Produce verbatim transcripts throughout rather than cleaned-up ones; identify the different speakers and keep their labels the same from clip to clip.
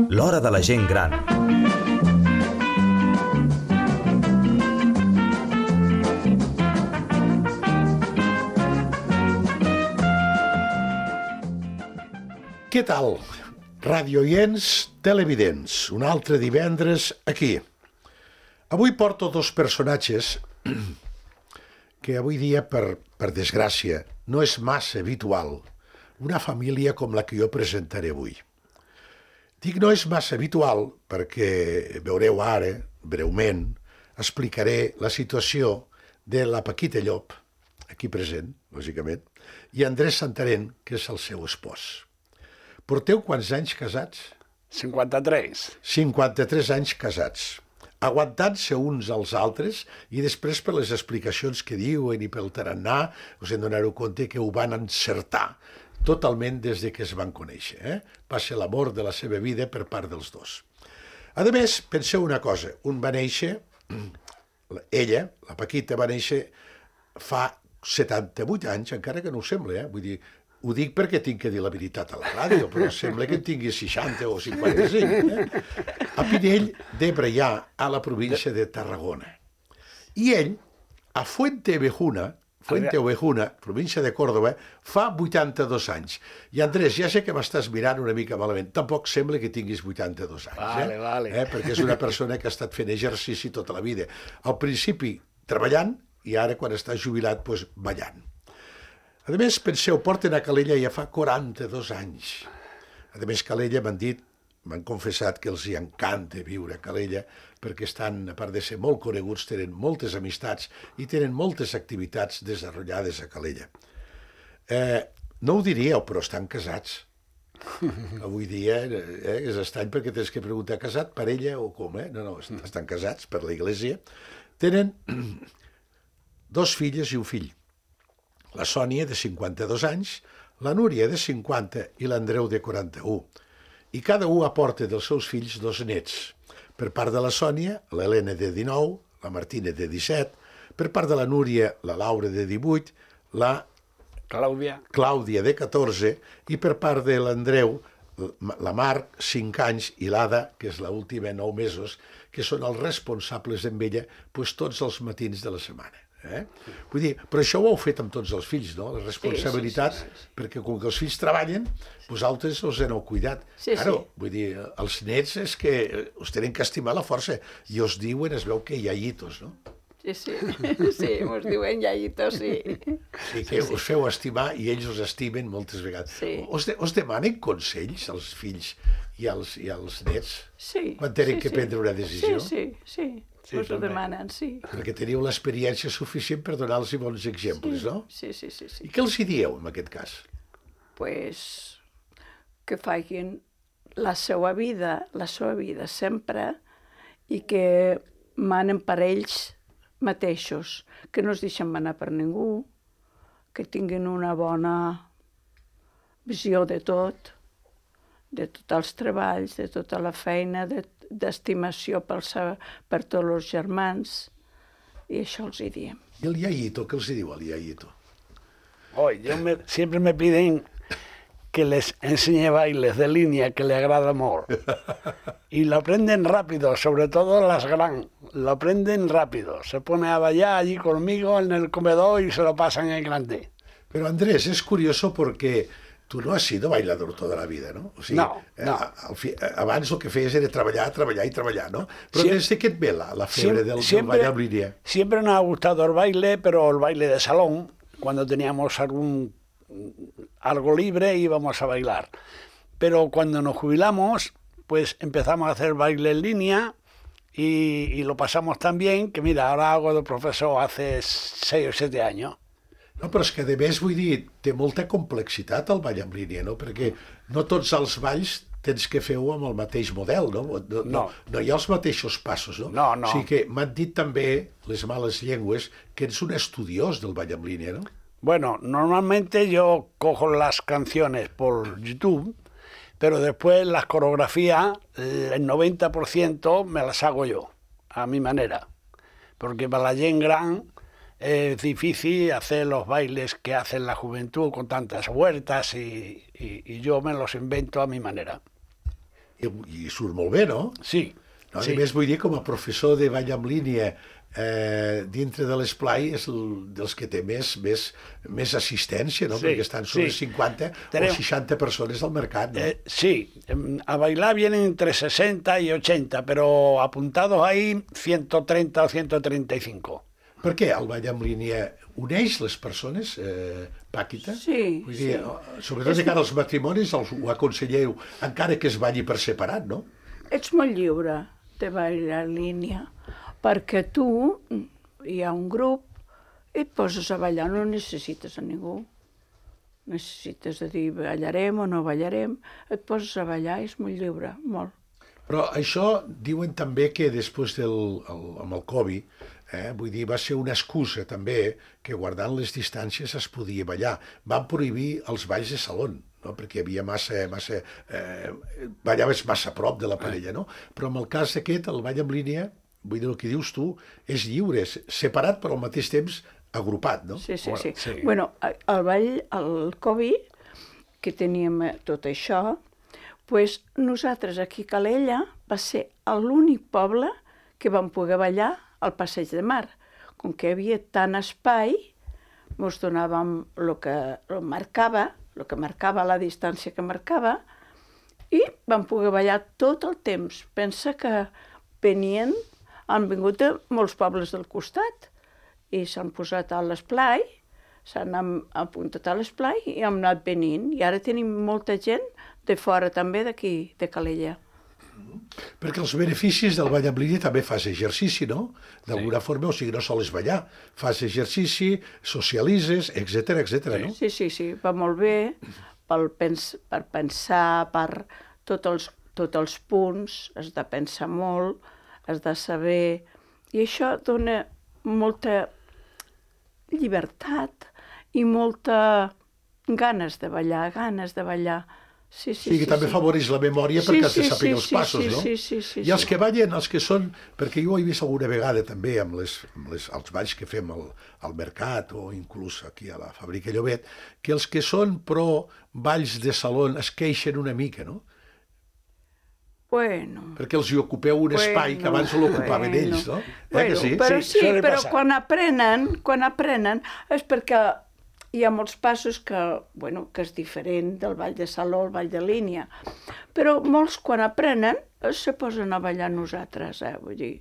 Speaker 1: L'hora de la gent gran.
Speaker 2: Què tal? Radioients, televidents, un altre divendres aquí. Avui porto dos personatges que avui dia, per, per desgràcia, no és massa habitual. Una família com la que jo presentaré avui. Dic no és massa habitual perquè veureu ara, breument, explicaré la situació de la Paquita Llop, aquí present, lògicament, i Andrés Santarén, que és el seu espòs. Porteu quants anys casats?
Speaker 3: cinquanta-tres.
Speaker 2: cinquanta-tres anys casats, aguantant-se uns als altres i després per les explicacions que diuen i pel tarannà us en donareu compte que ho van encertar totalment des de que es van conèixer. Eh? Va ser l'amor de la seva vida per part dels dos. A més, penseu una cosa, un va néixer, ella, la Paquita, va néixer fa setanta-vuit anys, encara que no ho sembla, eh? Vull dir, ho dic perquè tinc que dir la veritat a la ràdio, però sembla que en tingui seixanta o cinquanta-cinc. Eh? A Pinell de Braià, a la província de Tarragona. I ell, a Fuentevejuna, Fuentevejuna, província de Còrdova, fa vuitanta-dos anys. I Andrés, ja sé que m'estàs mirant una mica malament. Tampoc sembla que tinguis vuitanta-dos anys.
Speaker 3: Vale,
Speaker 2: eh?
Speaker 3: vale.
Speaker 2: Eh? Perquè és una persona que ha estat fent exercici tota la vida. Al principi treballant i ara, quan està jubilat, doncs, ballant. A més, penseu, porten a Calella ja fa quaranta-dos anys. A més, Calella m'han dit, m'han confessat que els hi encanta viure a Calella perquè estan, a part de ser molt coneguts, tenen moltes amistats i tenen moltes activitats desenvolupades a Calella. Eh, no ho diríeu, però estan casats. Avui dia eh, és estrany perquè tens que preguntar, casat per ella o com? Eh? No, no, estan casats per l'església. Tenen dos filles i un fill. La Sònia, de cinquanta-dos anys, la Núria, de cinquanta, i l'Andreu, de quaranta-un. I cada un aporta dels seus fills dos nets. Per part de la Sònia, l'Helena, de dinou, la Martina, de disset, per part de la Núria, la Laura, de divuit, la
Speaker 3: Clàudia,
Speaker 2: Clàudia, de catorze, i per part de l'Andreu, la Marc, cinc anys, i l'Ada, que és l'última, nou mesos, que són els responsables amb ella doncs, tots els matins de la setmana. Eh? Vull dir, però això ho heu fet amb tots els fills, no? La responsabilitat, sí, sí, sí, sí. Perquè com que els fills treballen, vosaltres us en heu cuidat.
Speaker 4: Sí,
Speaker 2: claro,
Speaker 4: sí.
Speaker 2: Vull dir, els nets és que us tenen que estimar la força i us diuen, es veu que hi ha hitos, no?
Speaker 4: Sí, sí, sí, ens diuen iayitos, sí.
Speaker 2: Sí, que us feu estimar i ells us estimen moltes vegades.
Speaker 4: Sí.
Speaker 2: Us, de, us demanen consells als fills i als, i als nets?
Speaker 4: Sí.
Speaker 2: Quan tenen
Speaker 4: sí,
Speaker 2: que
Speaker 4: sí.
Speaker 2: prendre una decisió?
Speaker 4: Sí, sí, sí.
Speaker 3: Sí,
Speaker 4: us ho
Speaker 3: també.
Speaker 4: demanen, sí.
Speaker 2: Perquè teniu l'experiència suficient per donar-los bons exemples,
Speaker 4: sí.
Speaker 2: no?
Speaker 4: Sí, sí, sí, sí.
Speaker 2: I què els hi dieu, en aquest cas?
Speaker 4: Pues que facin la seva vida, la seva vida sempre, i que manen per ells mateixos, que no es deixen manar per ningú, que tinguin una bona visió de tot, de tots els treballs, de tota la feina, de, d'estimació per, per tots els germans, i això els hi diem.
Speaker 2: I el iaiito, què els hi diu el iaiito?
Speaker 3: Hoy, yo me, siempre me piden que les enseñe bailes de línea que le agrada molt. Y lo aprenden rápido, sobre todo las gran, lo aprenden rápido. Se pone a bailar allí conmigo en el comedor y se lo pasan en grande.
Speaker 2: Pero Andrés, es curioso porque tu no has sido bailador toda la vida, no? O sigui,
Speaker 3: no, no.
Speaker 2: Eh, fi, abans el que feies era treballar, treballar i treballar, no? Però
Speaker 3: Sie
Speaker 2: des de què et ve la, la febre del,
Speaker 3: siempre,
Speaker 2: del ball en línia?
Speaker 3: Siempre nos ha gustado el baile, pero el baile de salón, cuando teníamos algún algo libre íbamos a bailar. Pero cuando nos jubilamos, pues empezamos a hacer baile en línea y, y lo pasamos tan bien que, mira, ahora hago de profesor hace seis o siete años.
Speaker 2: No, però és que, a més, vull dir, té molta complexitat el ball en línia, no? Perquè no tots els balls tens que fer-ho amb el mateix model, no? No, no. no hi ha els mateixos passos, no?
Speaker 3: No, no.
Speaker 2: O sigui que m'han dit també les males llengües que ets un estudiós del ball en línia, no?
Speaker 3: Bueno, normalmente yo cojo las canciones por YouTube, pero después las coreografías, el noventa por ciento me las hago yo, a mi manera. Porque para la gent gran es difícil hacer los bailes que hace la juventud con tantas vueltas y, y, y yo me los invento a mi manera.
Speaker 2: I, i surt molt bé, no?
Speaker 3: Sí.
Speaker 2: No, a
Speaker 3: sí.
Speaker 2: més, vull dir, com a professor de ball en línia eh, dintre de l'esplai és el, dels que té més, més, més assistència, no?
Speaker 3: Sí,
Speaker 2: Perquè estan sobre
Speaker 3: sí.
Speaker 2: cinquanta
Speaker 3: Tenemos,
Speaker 2: o seixanta persones al mercat, no?
Speaker 3: Eh, sí, a bailar vienen entre sesenta y ochenta, pero apuntados ahí ciento treinta o ciento treinta y cinco.
Speaker 2: Per què el ball en línia uneix les persones, eh, Paquita?
Speaker 4: Sí,
Speaker 2: Vull dir,
Speaker 4: sí.
Speaker 2: sobretot de cara als matrimonis els, ho aconselleu, encara que es balli per separat, no?
Speaker 4: Ets molt lliure de ballar en línia, perquè tu, hi ha un grup, i et poses a ballar, no necessites a ningú. Necessites de dir ballarem o no ballarem, et poses a ballar, és molt lliure, molt.
Speaker 2: Però això diuen també que després del, el, amb el Covid, eh, vull dir, va ser una excusa també que guardant les distàncies es podia ballar. Van prohibir els balls de saló, no? Perquè hi havia massa, massa eh, ballaves massa a prop de la parella, no? Però en el cas aquest, el ball en línia, vull dir, el que dius tu, és lliure, separat però al mateix temps agrupat, no?
Speaker 4: Sí, sí,
Speaker 3: Bueno,
Speaker 4: sí.
Speaker 3: sí.
Speaker 4: Bueno, el ball, el Covid, que teníem tot això, pues nosaltres aquí a Calella va ser l'únic poble que vam poder ballar al Passeig de Mar. Com que hi havia tant espai, ens donàvem el que el marcava, el que marcava la distància que marcava, i vam poder ballar tot el temps. Pensa que venien, han vingut de molts pobles del costat i s'han posat a l'esplai, s'han apuntat a l'esplai i hem anat venint. I ara tenim molta gent de fora també d'aquí, de Calella.
Speaker 2: Perquè els beneficis del ball en línia també fas exercici, no? D'alguna sí. forma, o sigui, no sols ballar, fas exercici, socialitzes, etcètera, etcètera, no?
Speaker 4: Sí, sí, sí, va molt bé per, pens per pensar, per tots els, tots els punts, has de pensar molt, has de saber... I això dona molta llibertat i molta ganes de ballar, ganes de ballar. Sí, sí,
Speaker 2: sí, que
Speaker 4: sí,
Speaker 2: també
Speaker 4: sí.
Speaker 2: afavoreix la memòria
Speaker 4: Sí,
Speaker 2: perquè has de
Speaker 4: sí,
Speaker 2: saber
Speaker 4: sí,
Speaker 2: els
Speaker 4: sí,
Speaker 2: passos,
Speaker 4: sí,
Speaker 2: no?
Speaker 4: sí, sí, sí,
Speaker 2: I els
Speaker 4: sí.
Speaker 2: que ballen, els que són... Perquè jo ho he vist alguna vegada també amb, les, amb les, els balls que fem al, al mercat o inclús aquí a la Fàbrica Llobet, que els que són pro balls de saló es queixen una mica, no?
Speaker 4: Bueno...
Speaker 2: Perquè els hi ocupeu un espai
Speaker 4: bueno,
Speaker 2: que abans l'ocupaven
Speaker 4: bueno.
Speaker 2: ells, no? Eh
Speaker 4: Bueno,
Speaker 2: que sí?
Speaker 4: però
Speaker 3: Sí,
Speaker 4: sí,
Speaker 3: suele
Speaker 4: però
Speaker 3: passar.
Speaker 4: quan aprenen, quan aprenen és perquè hi ha molts passos que, bueno, que és diferent del ball de saló al ball de línia. Però molts quan aprenen se posen a ballar nosaltres, eh? Vull dir...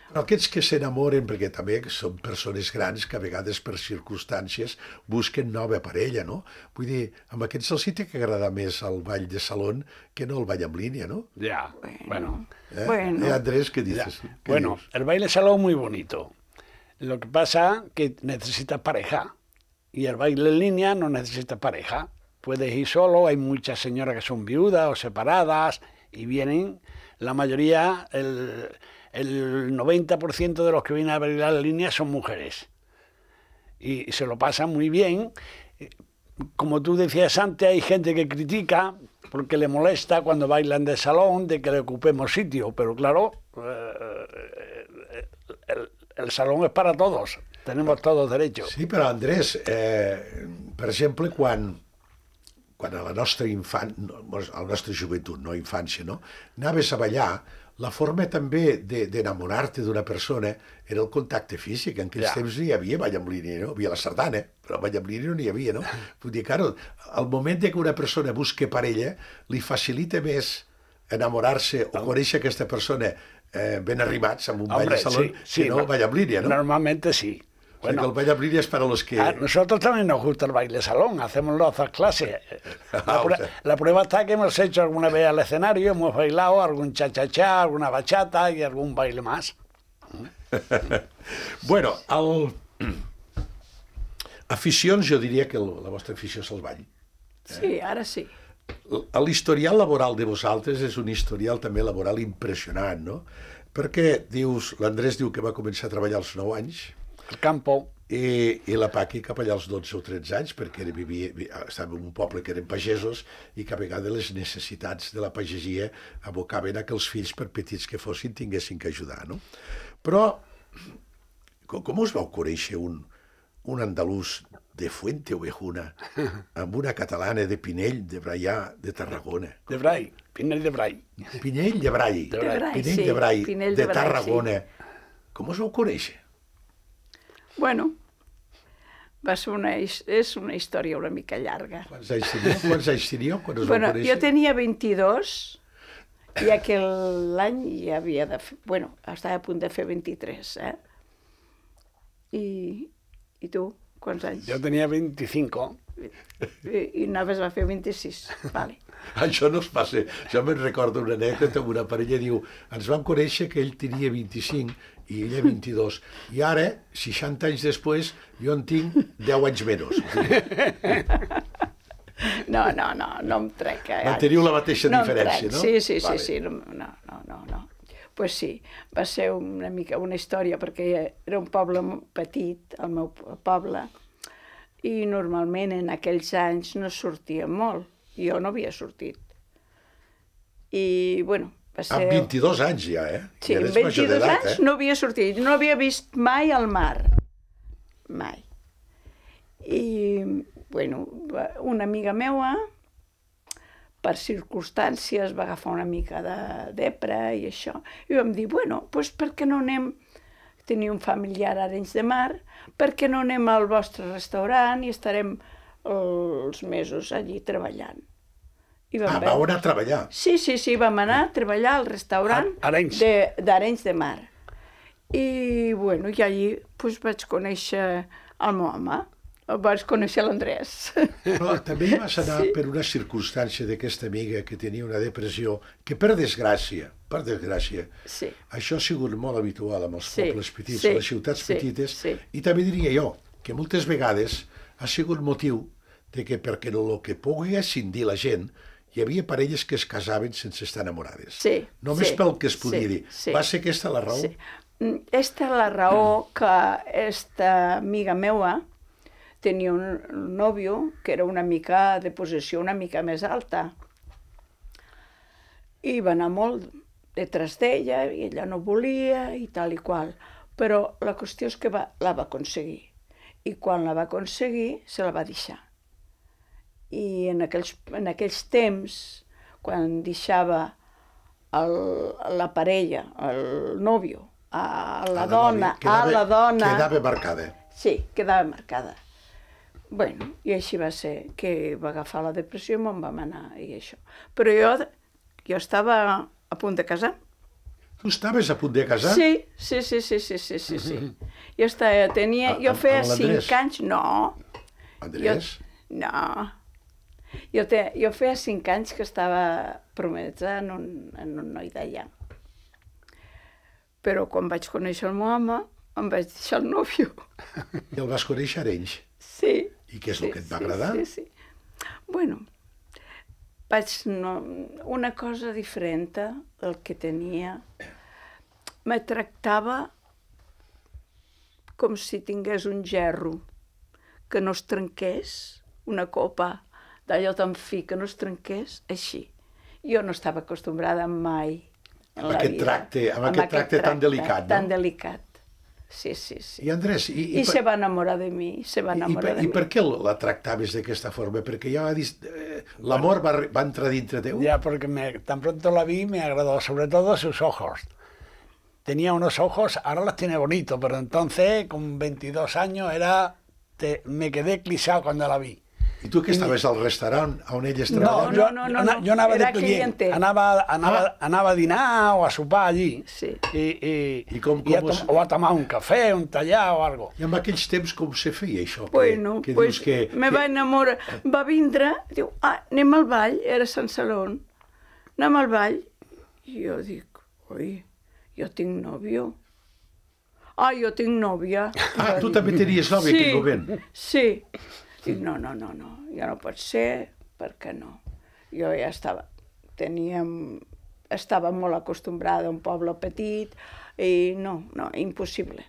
Speaker 2: Però aquests que s'enamoren, perquè també són persones grans que a vegades per circumstàncies busquen nova parella, no? Vull dir, amb aquests els hi té que agradar més el ball de saló que no el ball en línia, no?
Speaker 3: Ya, bueno.
Speaker 2: ¿Eh?
Speaker 4: Bueno.
Speaker 2: Eh, Andrés, ¿qué
Speaker 3: Ya.
Speaker 2: dices? ¿Qué
Speaker 3: Bueno,
Speaker 2: dices?
Speaker 3: el baile salón muy bonito. Lo que pasa que necesitas pareja. Y el baile en línea no necesita pareja. Puedes ir solo, hay muchas señoras que son viudas o separadas y vienen, la mayoría, el, el noventa por ciento de los que vienen a bailar en línea son mujeres. Y, y se lo pasan muy bien. Como tú decías antes, hay gente que critica porque le molesta cuando bailan de salón de que le ocupemos sitio, pero claro, eh, el, el salón es para todos. Tenemos todos derechos.
Speaker 2: Sí, però Andrés, eh, per exemple, quan, quan a la nostra infant, a la nostra joventut, no infància, no? Anaves a ballar, la forma també d'enamorar-te d'una persona era el contacte físic. En aquells
Speaker 3: Ja.
Speaker 2: temps no hi havia ball en línia, no? Hi havia la sardana, però ball en línia no n'hi havia, no? Vull dir, claro, al moment que una persona busca parella, li facilita més enamorar-se o conèixer aquesta persona eh, ben arribats amb un ball
Speaker 3: Hombre,
Speaker 2: de saló
Speaker 3: sí, sí,
Speaker 2: que no el ball en línia, no?
Speaker 3: Normalmente sí.
Speaker 2: O sigui que el ball en línia és para los que...
Speaker 3: A nosotros también nos gusta el baile salón, hacemos las dos clases. La,
Speaker 2: Ah, o
Speaker 3: prue-
Speaker 2: sea.
Speaker 3: la prueba está que hemos hecho alguna vez al escenario, hemos bailado algún cha-cha-cha, alguna bachata y algún baile más.
Speaker 2: Bueno, el... aficions, jo diria que el, la vostra afició és el ball.
Speaker 4: Sí, ara sí.
Speaker 2: L'historial laboral de vosaltres és un historial també laboral impressionant, no? Perquè dius, l'Andrés diu que va començar a treballar als nou anys
Speaker 3: El campo,
Speaker 2: i, i la Paqui cap allà als dotze o tretze anys, perquè era, vivia, estava en un poble que eren pagesos i que a vegades les necessitats de la pagesia abocaven a que els fills, per petits que fossin, tinguessin que ajudar, no? Però Com, com us vau conèixer un, un andalús de Fuente-Ovejuna amb una catalana de Pinell de Braià de Tarragona?
Speaker 3: De Brai, Pinell de Brai.
Speaker 2: Pinell de Brai.
Speaker 3: De Brai,
Speaker 2: Pinell
Speaker 4: sí,
Speaker 2: de Brai,
Speaker 4: Pinell
Speaker 2: de,
Speaker 4: de Brai,
Speaker 2: Tarragona. Com us vau conèixer?
Speaker 4: Bueno, va ser una, his- és una història una mica llarga.
Speaker 2: Quants anys teníeu? Quants anys teníeu quan us vau
Speaker 4: Bueno,
Speaker 2: conèixer?
Speaker 4: jo tenia vint-i-dos i aquell any ja havia de fer... Bueno, estava a punt de fer vint-i-tres, eh? I, i tu, quants anys?
Speaker 3: Jo tenia vint-i-cinc.
Speaker 4: I, i anaves a fer vint-i-sis, vale.
Speaker 2: Això no es passa. Jo me'n recordo una anècdota amb una parella, diu, ens vam conèixer que ell tenia vint-i-cinc i ella vint-i-dos. I ara, seixanta anys després, jo en tinc deu anys menys.
Speaker 4: No, no, no, no em trec. Eh?
Speaker 2: Manteniu la mateixa
Speaker 4: no em
Speaker 2: diferència,
Speaker 4: trec.
Speaker 2: no?
Speaker 4: Sí, sí, sí,
Speaker 2: Vale.
Speaker 4: sí. No, no, no, no, no. Pues sí, va ser una mica una història, perquè era un poble petit, el meu poble, i normalment en aquells anys no sortia molt. Jo no havia sortit. I, bueno, va ser...
Speaker 2: Amb vint-i-dos anys ja, eh?
Speaker 4: Sí,
Speaker 2: Ja
Speaker 4: amb
Speaker 2: eres major
Speaker 4: vint-i-dos
Speaker 2: d'edat,
Speaker 4: anys
Speaker 2: eh?
Speaker 4: no havia sortit, no havia vist mai el mar. Mai. I, bueno, va- una amiga meua, per circumstàncies, va agafar una mica de depra i això, i vam dir, bueno, doncs per què no anem, tenia un familiar a Arenys de Mar, per què no anem al vostre restaurant i estarem els mesos allí treballant. I vam
Speaker 2: Ah,
Speaker 4: veure-
Speaker 2: vau anar a treballar.
Speaker 4: Sí, sí, sí, vam anar a treballar al restaurant
Speaker 3: A- Arenys.
Speaker 4: de- d'Arenys de, Mar. I, bueno, i allí pues, vaig conèixer el meu home, vaig conèixer l'Andrés.
Speaker 2: Però també hi vas anar
Speaker 4: Sí.
Speaker 2: per una circumstància d'aquesta amiga que tenia una depressió, que per desgràcia, per desgràcia,
Speaker 4: Sí.
Speaker 2: això ha sigut molt habitual amb els
Speaker 4: Sí,
Speaker 2: pobles petits,
Speaker 4: sí,
Speaker 2: a les ciutats
Speaker 4: sí,
Speaker 2: petites,
Speaker 4: sí.
Speaker 2: i també diria jo que moltes vegades ha sigut motiu de que perquè el que pugui ascindir la gent, hi havia parelles que es casaven sense estar enamorades.
Speaker 4: Sí,
Speaker 2: Només
Speaker 4: sí,
Speaker 2: pel que es podia
Speaker 4: sí,
Speaker 2: dir.
Speaker 4: sí.
Speaker 2: Va ser aquesta la raó?
Speaker 4: Sí. Mm, Esta és la raó que esta amiga meua tenia un nòvio que era una mica de posició una mica més alta. I va anar molt detrás d'ella i ella no volia i tal i qual. Però la qüestió és que va, la va aconseguir. I quan la va aconseguir, se la va deixar. I en aquells, en aquells temps, quan deixava el, la parella, el nòvio, a la
Speaker 2: A
Speaker 4: dona,
Speaker 2: nòvia, quedava-
Speaker 4: a la dona...
Speaker 2: Quedava marcada.
Speaker 4: Sí, quedava marcada. Bueno, i així va ser, que va agafar la depressió i me'n vam anar i això. Però jo, jo estava a punt de casar.
Speaker 2: Tu estaves a punt de casar?
Speaker 4: Sí, sí, sí, sí, sí, sí, sí, sí. Jo estava, tenia,
Speaker 2: A-
Speaker 4: jo
Speaker 2: amb-
Speaker 4: feia
Speaker 2: amb l'Andrés?
Speaker 4: cinc anys, no.
Speaker 2: Andrés?
Speaker 4: Jo, no. Jo, te, jo feia cinc anys que estava promesa en un, en un noi d'allà. Però quan vaig conèixer el meu home, em vaig deixar el nòvio.
Speaker 2: I el vas conèixer a Arenys.
Speaker 4: Sí.
Speaker 2: I què és el
Speaker 4: sí,
Speaker 2: que et va
Speaker 4: sí,
Speaker 2: agradar?
Speaker 4: Sí, sí. Bueno, vaig... No, una cosa diferent del que tenia. Me tractava com si tingués un gerro, que no es trenqués, una copa d'allò tan fi, que no es trenqués, així. Jo no estava acostumbrada mai en
Speaker 2: Amb
Speaker 4: la
Speaker 2: aquest
Speaker 4: vida.
Speaker 2: tracte- amb aquest tracte tan delicat, no?
Speaker 4: Tan delicat, sí, sí, sí.
Speaker 2: I Andrés, i,
Speaker 4: I,
Speaker 2: per-
Speaker 4: se va enamorar de mi, se va
Speaker 2: i,
Speaker 4: enamorar
Speaker 2: per,
Speaker 4: de
Speaker 2: i
Speaker 4: mi.
Speaker 2: per què la tractaves d'aquesta forma? Perquè ja va dir, eh, l'amor va, va entrar dintre teu?
Speaker 3: Ya, porque me, tan pronto la vi me agradó, sobre todo sus ojos. Tenía unos ojos, ahora los tiene bonitos, pero entonces, con veintidós años, era te, me quedé clisado cuando la vi.
Speaker 2: I tu que estaves al restaurant on elles
Speaker 3: No,
Speaker 2: treballaven?
Speaker 3: yo,
Speaker 4: no, no,
Speaker 3: yo,
Speaker 4: no,
Speaker 3: yo andaba
Speaker 4: era
Speaker 3: de cliente,
Speaker 4: cliente.
Speaker 3: andaba, andaba, andaba a dinar o a sopar allí.
Speaker 4: Sí.
Speaker 3: Y, y,
Speaker 2: ¿Y cómo-
Speaker 3: y a
Speaker 2: cómo
Speaker 3: tom-
Speaker 2: es?
Speaker 3: o a tomar un café, un tallado o algo.
Speaker 2: I en aquells temps com se feia això? Que,
Speaker 4: Bueno,
Speaker 2: que
Speaker 4: pues
Speaker 2: dius que,
Speaker 4: me
Speaker 2: que...
Speaker 4: va enamorar. Va vindre, diu, ah, anem al ball, era Sant Salón. Anem al ball. I jo dic, oi, jo tinc nòvio. Ah, jo tinc nòvia.
Speaker 2: Ah, tu també tenies nòvia
Speaker 4: sí,
Speaker 2: en aquell moment?
Speaker 4: Sí. Dic, no, no, no, no, ja no pot ser, per què no? Jo ja estava, teníem, estava molt acostumbrada a un poble petit i no, no, impossible.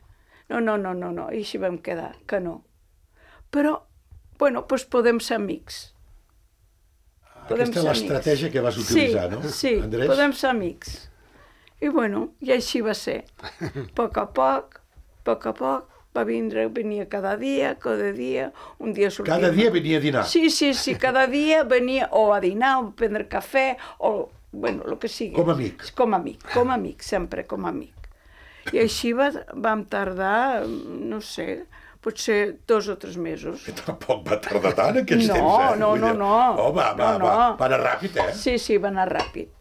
Speaker 4: No, no, no, no, no, i així vam quedar, que no. Però, bueno, doncs podem ser amics. Podem
Speaker 2: Aquesta és
Speaker 4: ser
Speaker 2: l'estratègia
Speaker 4: amics.
Speaker 2: que vas utilitzar,
Speaker 4: sí,
Speaker 2: no,
Speaker 4: Sí,
Speaker 2: Andrés?
Speaker 4: podem ser amics. I bueno, i així va ser. A poc a poc poc a poc, va vindre, venia cada dia, cada dia, un dia sortia...
Speaker 2: Cada dia venia a dinar?
Speaker 4: Sí, sí, sí, cada dia venia o a dinar, o a prendre cafè, o, bueno, el que sigui.
Speaker 2: Com a amic?
Speaker 4: Com a amic, com a amic, sempre com a amic. I així va, vam tardar, no sé, potser dos o tres mesos.
Speaker 2: Que tampoc va tardar tant, aquells
Speaker 4: no,
Speaker 2: temps, eh?
Speaker 4: No, no, no, no.
Speaker 2: Oh, va, va,
Speaker 4: no, no.
Speaker 2: va, va anar ràpid, eh?
Speaker 4: Sí, sí, va anar ràpid.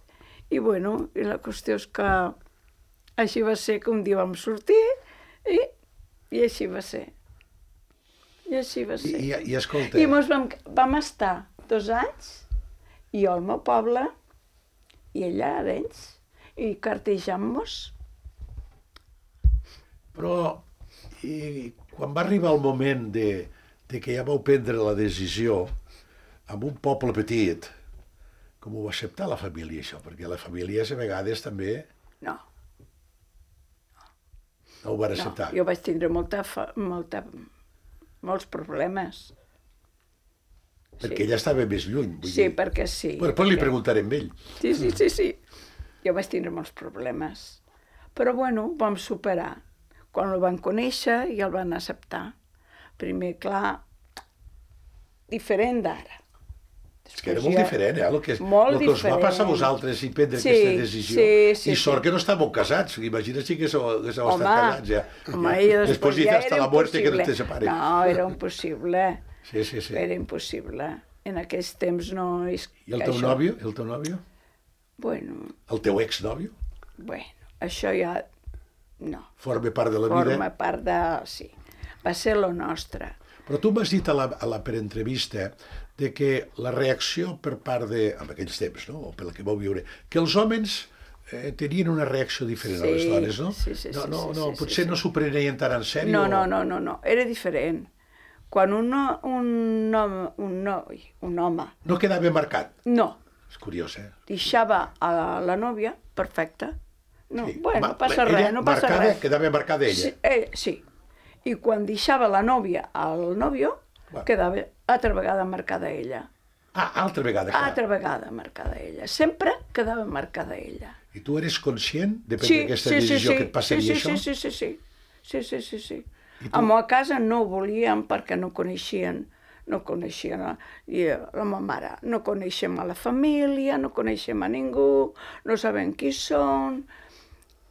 Speaker 4: I bueno, i la qüestió és que així va ser que un dia vam sortir i, i així va ser. I així va ser.
Speaker 2: I, i, i escolta...
Speaker 4: I mos vam, vam estar dos anys, jo al meu poble, i ella a Arenys, i cartejant-nos.
Speaker 2: Però i, quan va arribar el moment de, de que ja vau prendre la decisió, en un poble petit, com ho va acceptar la família, això? Perquè la família a vegades també
Speaker 4: No,
Speaker 2: no ho van
Speaker 4: no.
Speaker 2: acceptar.
Speaker 4: Jo vaig tindre molta, fa- molta, molts problemes.
Speaker 2: Perquè ella estava més lluny. Vull
Speaker 4: Sí,
Speaker 2: dir.
Speaker 4: perquè sí.
Speaker 2: Bueno, després li
Speaker 4: perquè-
Speaker 2: preguntarem a ell.
Speaker 4: Sí, sí, sí, sí. Jo vaig tindre molts problemes. Però, bueno, ho vam superar. Quan el van conèixer i el van acceptar. Primer, clar, diferent d'ara.
Speaker 2: És que era molt diferent, eh? El que,
Speaker 4: Molt
Speaker 2: el que us va
Speaker 4: diferent.
Speaker 2: passar a vosaltres i prendre
Speaker 4: Sí,
Speaker 2: aquesta decisió.
Speaker 4: sí, sí,
Speaker 2: I sort
Speaker 4: sí.
Speaker 2: que no estàveu casats. Imagina si que sou, que sou
Speaker 4: Home,
Speaker 2: estat casats, ja.
Speaker 4: home,
Speaker 2: ja.
Speaker 4: i després
Speaker 2: Després
Speaker 4: ja
Speaker 2: dice
Speaker 4: era
Speaker 2: hasta la muerte que no
Speaker 4: impossible.
Speaker 2: te separe.
Speaker 4: No, era impossible.
Speaker 2: Sí, sí, sí.
Speaker 4: Era impossible. En aquells temps no és...
Speaker 2: I el teu
Speaker 4: això...
Speaker 2: nòvio? El teu nòvio?
Speaker 4: Bueno,
Speaker 2: El teu exnòvio?
Speaker 4: bueno, això ja... No.
Speaker 2: Forma part de la
Speaker 4: Forma
Speaker 2: vida?
Speaker 4: part de... Sí. Va ser lo nostre.
Speaker 2: Però tu m'has dit a la, a la preentrevista de que la reacció per part de... en aquells temps, no?, o pel que vau viure, que els homes eh, tenien una reacció diferent
Speaker 4: Sí,
Speaker 2: a les dones, no?
Speaker 4: sí, sí,
Speaker 2: no,
Speaker 4: sí,
Speaker 2: no,
Speaker 4: sí,
Speaker 2: no,
Speaker 4: sí,
Speaker 2: potser
Speaker 4: sí,
Speaker 2: no
Speaker 4: sí.
Speaker 2: s'ho prenien tan en sèrio.
Speaker 4: No, no, no, no, no. Era diferent. Quan un, no- un, home, un, noi, un home
Speaker 2: No quedava marcat.
Speaker 4: no
Speaker 2: És curiós, eh?
Speaker 4: deixava a la nòvia, perfecte. No,
Speaker 2: Sí.
Speaker 4: bueno,
Speaker 2: Ma-
Speaker 4: no passa
Speaker 2: ella
Speaker 4: res, no passa
Speaker 2: marcada,
Speaker 4: res.
Speaker 2: quedava marcada ella.
Speaker 4: Sí, eh, sí. I quan deixava la nòvia al nòvio,
Speaker 2: Va.
Speaker 4: quedava altra vegada marcada ella.
Speaker 2: Ah, altra vegada. clar.
Speaker 4: Altra vegada marcada ella. Sempre quedava marcada ella.
Speaker 2: I tu eres conscient de prendre aquesta decisió que et passaria
Speaker 4: sí,
Speaker 2: això?
Speaker 4: sí, sí, sí, sí, sí, sí, sí, sí.
Speaker 2: I tu-
Speaker 4: A ma casa no ho volien perquè no coneixien, no coneixien a, i a la meva mare, no coneixem a la família, no coneixem a ningú, no sabem qui són,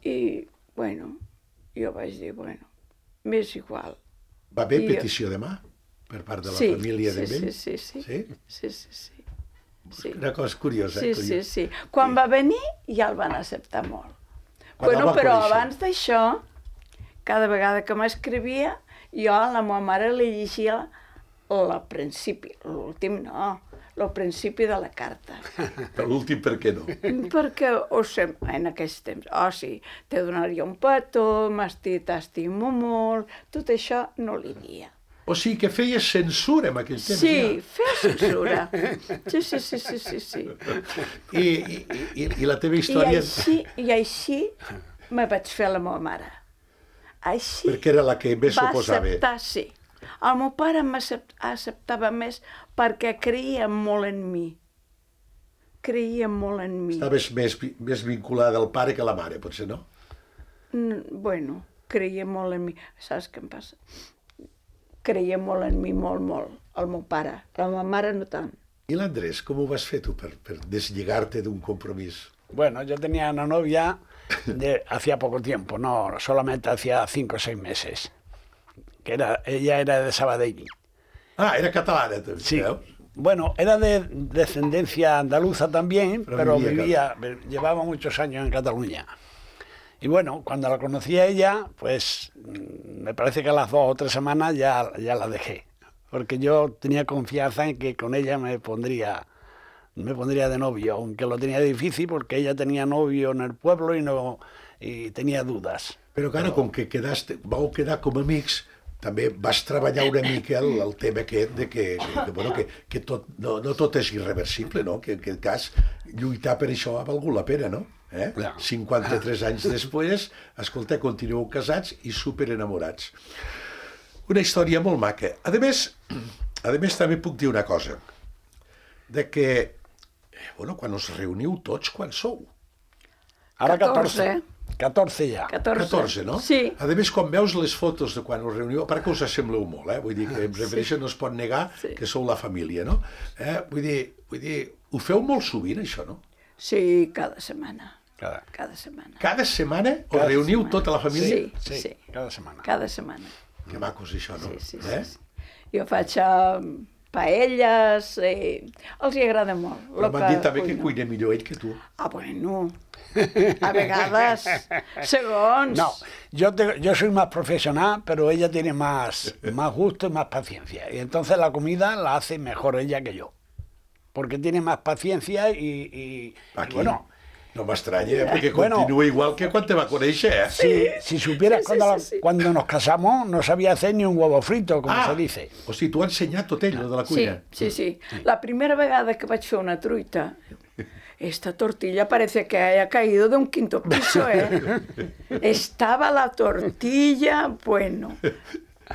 Speaker 4: i, bueno, jo vaig dir, bueno, m'és igual.
Speaker 2: Va haver
Speaker 4: I-
Speaker 2: petició de mà per part de la
Speaker 4: Sí,
Speaker 2: família
Speaker 4: sí,
Speaker 2: d'ell?
Speaker 4: sí, sí, sí.
Speaker 2: Sí?
Speaker 4: Sí, sí, sí. Sí.
Speaker 2: Una cosa curiosa.
Speaker 4: Sí,
Speaker 2: eh?
Speaker 4: sí,
Speaker 2: Curiós.
Speaker 4: sí. Quan va venir ja el van acceptar molt.
Speaker 2: Quan el
Speaker 4: Bueno,
Speaker 2: van
Speaker 4: però
Speaker 2: conèixer.
Speaker 4: abans d'això, cada vegada que m'escrivia, jo a la meva mare li llegia el principi, l'últim no, el principi de la carta.
Speaker 2: Però l'últim per què no?
Speaker 4: Perquè, o sé, en aquells temps, oh sí, te donaria un petó, m'esti- t'estimo molt, tot això no li dia.
Speaker 2: O sigui que feies censura en aquell temps,
Speaker 4: Sí, feia censura. Sí, sí, sí, sí, sí, sí.
Speaker 2: ja. I, i, i, I la teva
Speaker 4: I
Speaker 2: història...
Speaker 4: així, i així me vaig fer a la meva mare. Així
Speaker 2: Perquè era la que més
Speaker 4: va
Speaker 2: s'oposava.
Speaker 4: acceptar, sí. El meu pare m'acceptava més perquè creia molt en mi. Creia molt en mi.
Speaker 2: Estaves més, vi- més vinculada al pare que a la mare, potser, no?
Speaker 4: Mm, Bueno, creia molt en mi. Saps què em passa? Creia molt en mi, molt, molt, el meu pare. La meva mare no tant.
Speaker 2: I l'Andrés, com ho vas fer tu per, per deslligar-te d'un compromís?
Speaker 3: Bueno, yo tenía una novia de hacía poco tiempo, no, solamente hacía cinco o seis meses. Que era, ella era de Sabadell.
Speaker 2: Ah, era catalana, també,
Speaker 3: Sí.
Speaker 2: veus?
Speaker 3: Bueno, era de descendencia andaluza también,
Speaker 2: Pero
Speaker 3: pero,
Speaker 2: vivía
Speaker 3: vivía, llevaba muchos años en Cataluña. Y bueno, cuando la conocí a ella, pues mm, me parece que a las dos o tres semanas ya, ya la dejé. Porque yo tenía confianza en que con ella me pondría, me pondría de novio, aunque lo tenía difícil porque ella tenía novio en el pueblo y, no, y tenía dudas.
Speaker 2: Però, clar, com que quedaste, vau quedar com amics, també vas treballar una mica el, el tema aquest de que, que, que, bueno, que, que tot, no, no tot és irreversible, no? Que en aquest cas lluitar per això ha valgut la pena, no? Eh?
Speaker 3: Ja.
Speaker 2: cinquanta-tres anys després, escolta, continueu casats i superenamorats. Una història molt maca. A més, a més també puc dir una cosa, de que, bueno, quan us reuniu tots, quan sou?
Speaker 3: Ahora
Speaker 4: catorze.
Speaker 3: catorce. catorze ja.
Speaker 4: catorze.
Speaker 2: catorze, no?
Speaker 4: Sí.
Speaker 2: A més, quan veus les fotos de quan us reuniu, a part que us assembleu molt, eh? Vull dir que em refereixo, no es pot negar
Speaker 4: Sí.
Speaker 2: que sou la família, no? Eh? Vull dir, vull dir, ho feu molt sovint, això, no?
Speaker 4: Sí, cada setmana.
Speaker 3: Cada,
Speaker 4: Cada setmana.
Speaker 2: Cada setmana us
Speaker 4: Cada
Speaker 2: reuniu
Speaker 4: setmana.
Speaker 2: tota la família?
Speaker 4: Sí,
Speaker 3: sí,
Speaker 4: sí.
Speaker 3: cada setmana.
Speaker 4: Cada setmana.
Speaker 2: Que macos, això, no?
Speaker 4: Sí, sí, sí.
Speaker 2: Eh?
Speaker 4: sí. Jo faig uh, paelles, eh, els hi agrada molt.
Speaker 2: Però
Speaker 4: lo
Speaker 2: m'han dit també que
Speaker 4: cuino.
Speaker 2: cuina millor ell que tu.
Speaker 4: Ah, bueno, a vegades, segons.
Speaker 3: No, yo, te- yo soy más profesional, pero ella tiene más, más gusto y más paciencia. Y entonces la comida la hace mejor ella que yo. Porque tiene más paciencia y, y- y
Speaker 2: Aquí.
Speaker 3: bueno,
Speaker 2: No m'estranya, eh? Perquè
Speaker 3: Bueno.
Speaker 2: continua igual que quan te va conèixer, eh?
Speaker 3: si, si supieras
Speaker 4: sí, sí,
Speaker 3: cuando, la-
Speaker 4: sí, sí.
Speaker 3: cuando nos casamos no sabía hacer ni un huevo frito, como
Speaker 2: Ah,
Speaker 3: se dice.
Speaker 2: o sigui, t'ho ha ensenyat tot ell, lo de la
Speaker 4: Sí,
Speaker 2: cuina.
Speaker 4: sí, sí. La primera vegada que vaig fer una truita, esta tortilla parece que haya caído de un quinto piso, ¿eh? Estaba la tortilla, bueno.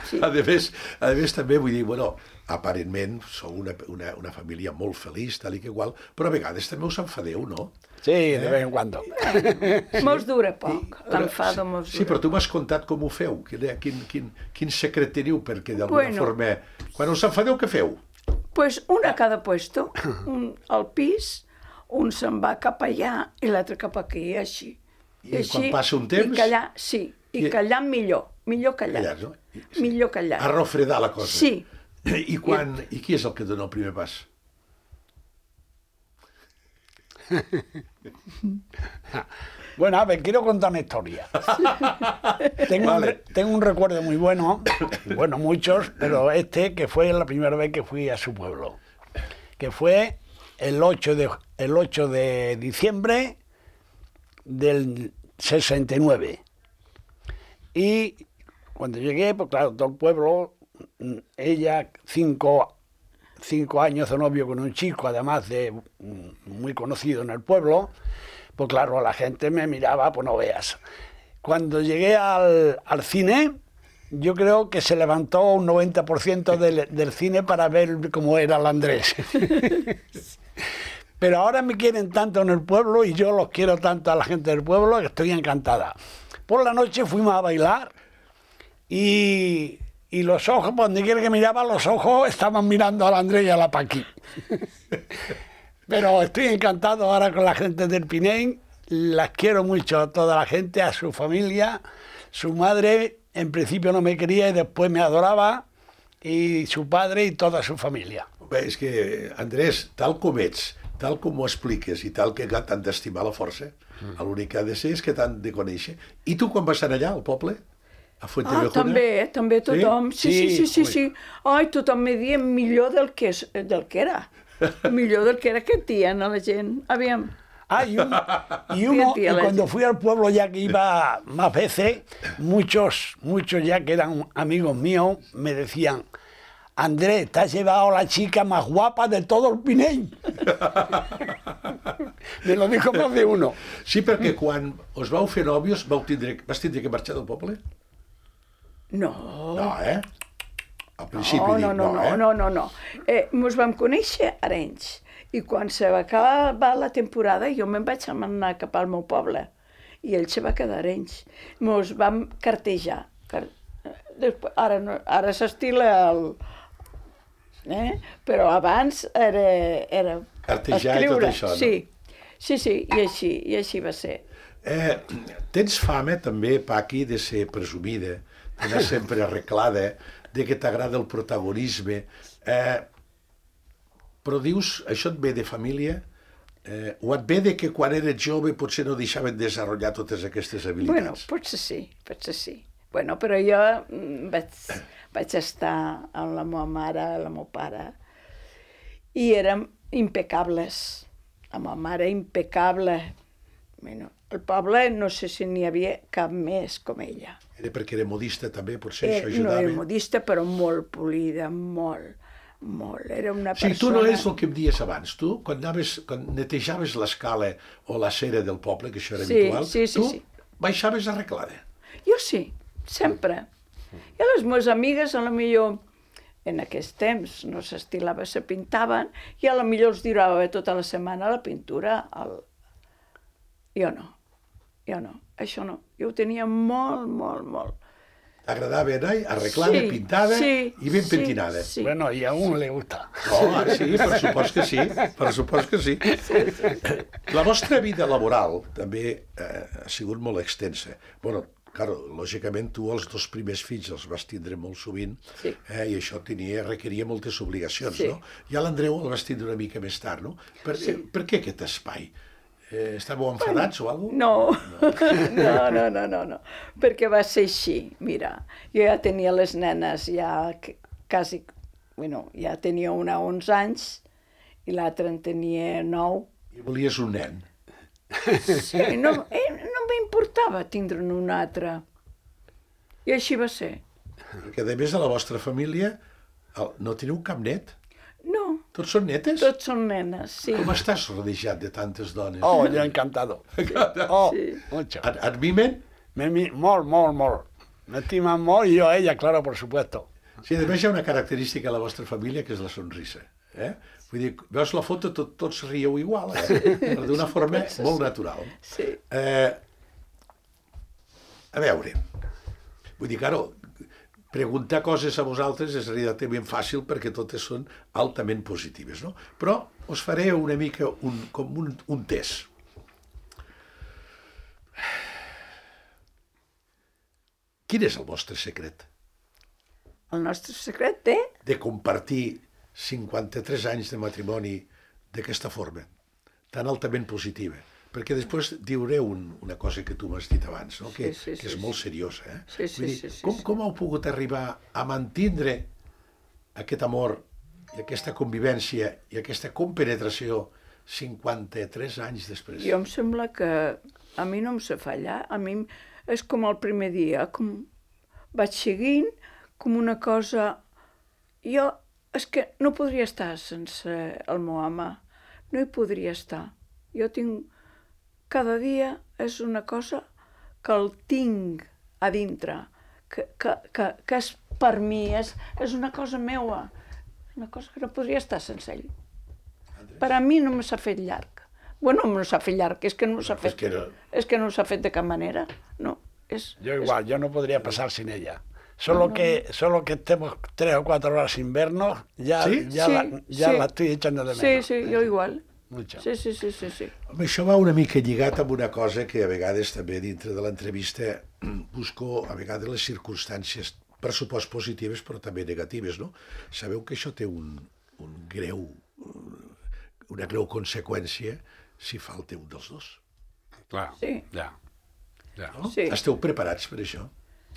Speaker 4: Sí.
Speaker 2: A més, a més, també vull dir, bueno, aparentment sou una, una, una família molt feliç, tal i que igual, però a vegades també us enfadeu, no?
Speaker 3: Sí, de vez en cuando.
Speaker 4: Mos dura poc, l'enfado mos dura.
Speaker 2: Sí, però tu m'has contat com ho feu, quin, quin, quin, quin secret teniu, perquè d'alguna
Speaker 4: Bueno.
Speaker 2: forma... Quan us enfadeu, què feu?
Speaker 4: Pues una a cada puesto, un al pis, un se'n va cap allà i l'altre cap aquí, així.
Speaker 2: I quan passa un temps?
Speaker 4: I callar, sí, i
Speaker 2: I-
Speaker 4: callar millor, millor callar.
Speaker 2: Callar, no?
Speaker 4: Millor callar.
Speaker 2: A refredar la cosa.
Speaker 4: Sí.
Speaker 2: I, quan, I qui és el que dona el primer pas?
Speaker 3: Bueno, a ver, quiero contar una historia. Tengo, un,
Speaker 2: Vale.
Speaker 3: re- tengo un recuerdo muy bueno, bueno, muchos, pero este que fue la primera vez que fui a su pueblo, que fue el ocho de, el ocho de diciembre del sesenta y nueve. Y cuando llegué, pues claro, todo el pueblo, mm, ella, cinco, cinco años de novio con un chico, además de mm, muy conocido en el pueblo, pues claro, la gente me miraba, pues no veas. Cuando llegué al, al cine, yo creo que se levantó un noventa por ciento del, del cine para ver cómo era el Andrés. Pero ahora me quieren tanto en el pueblo y yo los quiero tanto a la gente del pueblo que estoy encantada. Por la noche fuimos a bailar y, y los ojos, por donde quiera que miraba, los ojos estaban mirando al Andrés y a la Paqui. Pero estoy encantado ahora con la gente del Pinell, las quiero mucho a toda la gente, a su familia. Su madre en principio no me quería y después me adoraba, y su padre y toda su familia.
Speaker 2: Bé, és que, Andrés, tal com ets, tal com ho expliques i tal que t'han d'estimar la força, l'únic que ha de ser és que t'han de conèixer. I tu quan vas anar allà, al poble? A
Speaker 4: Ah,
Speaker 2: Fuentevejuna?
Speaker 4: també, també tothom. Sí, sí, sí, sí.
Speaker 3: Sí,
Speaker 4: sí. Ai, tothom me deia millor del que, és- del que era. Millor del que era que dient a la gent. Aviam.
Speaker 3: Ah, y, un- y uno,
Speaker 4: Fíjate,
Speaker 3: y
Speaker 4: a la
Speaker 3: cuando
Speaker 4: gente.
Speaker 3: fui al pueblo ya que iba más veces, muchos, muchos ya que eran amigos míos, me decían: Andrés, te has llevado a la chica más guapa de todo el Pinell. Me lo dijo más de uno.
Speaker 2: Sí, perquè quan us vau fer nòvios vau tindre, vas tindre que marxar del poble?
Speaker 4: No.
Speaker 2: No, eh? Al principi
Speaker 4: No,
Speaker 2: dic,
Speaker 4: no, no, no,
Speaker 2: eh?
Speaker 4: no, no, no. Eh, mos vam conèixer a Arenys i quan se va acabar la temporada jo me'n vaig anar cap al meu poble i ell se va quedar a Arenys. Mos vam cartejar. Car... Després, ara no, ara s'estila el... Eh? Però abans era, era
Speaker 2: Cartejar i tot això, no?
Speaker 4: Sí, sí, sí, i així, i així va ser.
Speaker 2: Eh, tens fama també, Paqui, de ser presumida, d'anar sempre arreglada, de que t'agrada el protagonisme. Eh, però dius, això et ve de família? Eh, o et ve de que quan eres jove potser no deixaven desenvolupar totes aquestes
Speaker 4: Bueno,
Speaker 2: habilitats?
Speaker 4: potser sí, potser sí. Bueno, però jo mm, vaig, vaig estar amb la meva mare, el meu pare, i érem impecables. La meva mare impecable. Bueno, el poble no sé si n'hi havia cap més com ella.
Speaker 2: Era perquè era modista també, potser
Speaker 4: Eh,
Speaker 2: això
Speaker 4: no
Speaker 2: ajudava?
Speaker 4: era modista, però molt polida, molt, molt. Era una
Speaker 2: Sí,
Speaker 4: persona...
Speaker 2: tu no és el que em dies abans. Tu, quan, anaves, quan netejaves l'escala o la cera del poble, que això era
Speaker 4: Sí,
Speaker 2: habitual,
Speaker 4: sí, sí,
Speaker 2: tu
Speaker 4: sí.
Speaker 2: baixaves arreglada.
Speaker 4: Jo sí, sempre. I les meves amigues, a la millor, en aquest temps no s'estilava, se pintaven, i a la millor els durava tota la setmana la pintura. El... Jo no. jo no, això no. Jo ho tenia molt, molt, molt.
Speaker 2: T'agradava anar arreglada,
Speaker 4: Sí,
Speaker 2: pintada
Speaker 4: sí,
Speaker 2: i ben
Speaker 4: sí,
Speaker 2: pentinada.
Speaker 4: sí.
Speaker 3: Bueno, y aún le gusta.
Speaker 2: Oh, ah, sí, per supost que sí, per supost que sí. La vostra vida laboral també eh, ha sigut molt extensa. Bueno, claro, lògicament tu els dos primers fills els vas tindre molt sovint,
Speaker 4: Sí.
Speaker 2: eh, i això tenia, requeria moltes obligacions,
Speaker 4: Sí.
Speaker 2: no? I a l'Andreu el vas tindre una mica més tard, no? Per,
Speaker 4: Sí.
Speaker 2: per què aquest espai? Eh, estàveu enfadats o alguna cosa?
Speaker 4: No, no, no, no, no, no, perquè va ser així, mira, jo ja tenia les nenes, ja que- quasi, bueno, ja tenia una onze anys i l'altra en tenia nou.
Speaker 2: I volies un nen.
Speaker 4: Sí, no, eh, no m'importava tindre'n un altre. I així va ser.
Speaker 2: Perquè a més de la vostra família el- no teniu cap net?
Speaker 4: No,
Speaker 2: Tots són netes?
Speaker 4: tots són nenes, sí.
Speaker 2: Com estàs rodejat de tantes dones?
Speaker 3: Oh, yo encantado. Oh,
Speaker 4: Sí.
Speaker 3: mucho.
Speaker 2: Et, et mimen?
Speaker 3: Me, mi- mol, mol, mol. Me estiman mol y yo a ella, claro, por supuesto.
Speaker 2: Sí, a més hi ha una característica a la vostra família que és la sonrisa. Eh? Vull dir, veus la foto, tot, tots rieu igual, eh? Però d'una forma molt natural.
Speaker 4: Sí.
Speaker 2: Eh, a veure, vull dir, claro, preguntar coses a vosaltres és relativament fàcil perquè totes són altament positives, no? Però us faré una mica un, com un, un test. Quin és el vostre secret?
Speaker 4: El nostre secret té...
Speaker 2: De compartir cinquanta-tres anys de matrimoni d'aquesta forma, tan altament positiva. Perquè després diuré un, una cosa que tu m'has dit abans, no? que,
Speaker 4: Sí, sí,
Speaker 2: que és
Speaker 4: sí,
Speaker 2: molt
Speaker 4: sí.
Speaker 2: seriosa. Eh?
Speaker 4: Sí, sí,
Speaker 2: Vull dir,
Speaker 4: sí, sí,
Speaker 2: com,
Speaker 4: sí.
Speaker 2: com heu pogut arribar a mantindre aquest amor i aquesta convivència i aquesta compenetració cinquanta-tres anys després?
Speaker 4: Jo em sembla que a mi no em sé fallar, a mi és com el primer dia, com vaig seguint, com una cosa... Jo és que no podria estar sense el meu home, no hi podria estar. Jo tinc... Cada dia és una cosa que el tinc a dintre, que, que, que, que és per mi, és, és una cosa meua, és una cosa que no podria estar sense ell. Per a mi no me s'ha fet llarg. Bueno, no s'ha fet llarg, és que no s'ha
Speaker 2: És
Speaker 4: fet,
Speaker 2: que no.
Speaker 4: és que no s'ha fet de cap manera. No, és,
Speaker 3: Yo igual, yo no podría pasar sin ella. Solo que, solo que estemos tres o cuatro horas sin vernos, ya,
Speaker 2: ¿Sí?
Speaker 3: ya,
Speaker 4: Sí,
Speaker 3: la, ya
Speaker 4: sí.
Speaker 3: la estoy echando de
Speaker 4: Sí,
Speaker 3: menos.
Speaker 4: sí, jo igual.
Speaker 3: Mucho.
Speaker 4: Sí, sí, sí, sí, sí.
Speaker 2: Home, això va una mica lligat amb una cosa que a vegades també dintre de l'entrevista busco a vegades les circumstàncies, per supost positives però també negatives, no? Sabeu que això té un, un greu, una greu conseqüència si falta un dels dos.
Speaker 3: Claro,
Speaker 4: Sí.
Speaker 3: ya. Ya.
Speaker 2: No?
Speaker 4: Sí.
Speaker 2: Esteu preparats per això?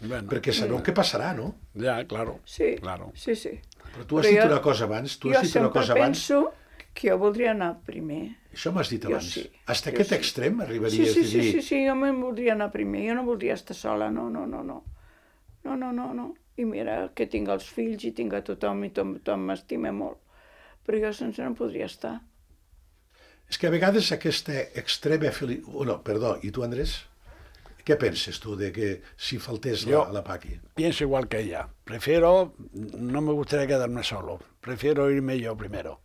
Speaker 3: Bueno,
Speaker 2: Perquè sabeu què passarà, no?
Speaker 3: ya, claro.
Speaker 4: Sí,
Speaker 3: Claro.
Speaker 4: sí, sí.
Speaker 2: Però tu has
Speaker 4: Però
Speaker 2: dit
Speaker 4: jo-
Speaker 2: una cosa abans, tu
Speaker 4: jo
Speaker 2: has dit una
Speaker 4: sempre
Speaker 2: cosa abans,
Speaker 4: penso que jo voldria anar primer.
Speaker 2: això m'has dit
Speaker 4: Jo
Speaker 2: abans.
Speaker 4: sí,
Speaker 2: Hasta
Speaker 4: jo
Speaker 2: aquest
Speaker 4: sí.
Speaker 2: extrem
Speaker 4: Sí,
Speaker 2: arribaries
Speaker 4: sí,
Speaker 2: a
Speaker 4: sí,
Speaker 2: dir...
Speaker 4: sí, sí, jo me'n voldria anar primer, jo no voldria estar sola, no, no, no, no. No, no, no, no. I mira que tinc els fills i tinc a tothom i tothom m'estima molt. Però jo sense no podria estar.
Speaker 2: És que a vegades aquesta extrema felicitat... Oh, no, perdó, i tu, Andrés? Què penses tu de que si faltés la,
Speaker 3: Jo-
Speaker 2: la Paqui?
Speaker 3: Pienso igual que ella. Prefiero, no me gustaría quedarme solo. Prefiero irme yo primero.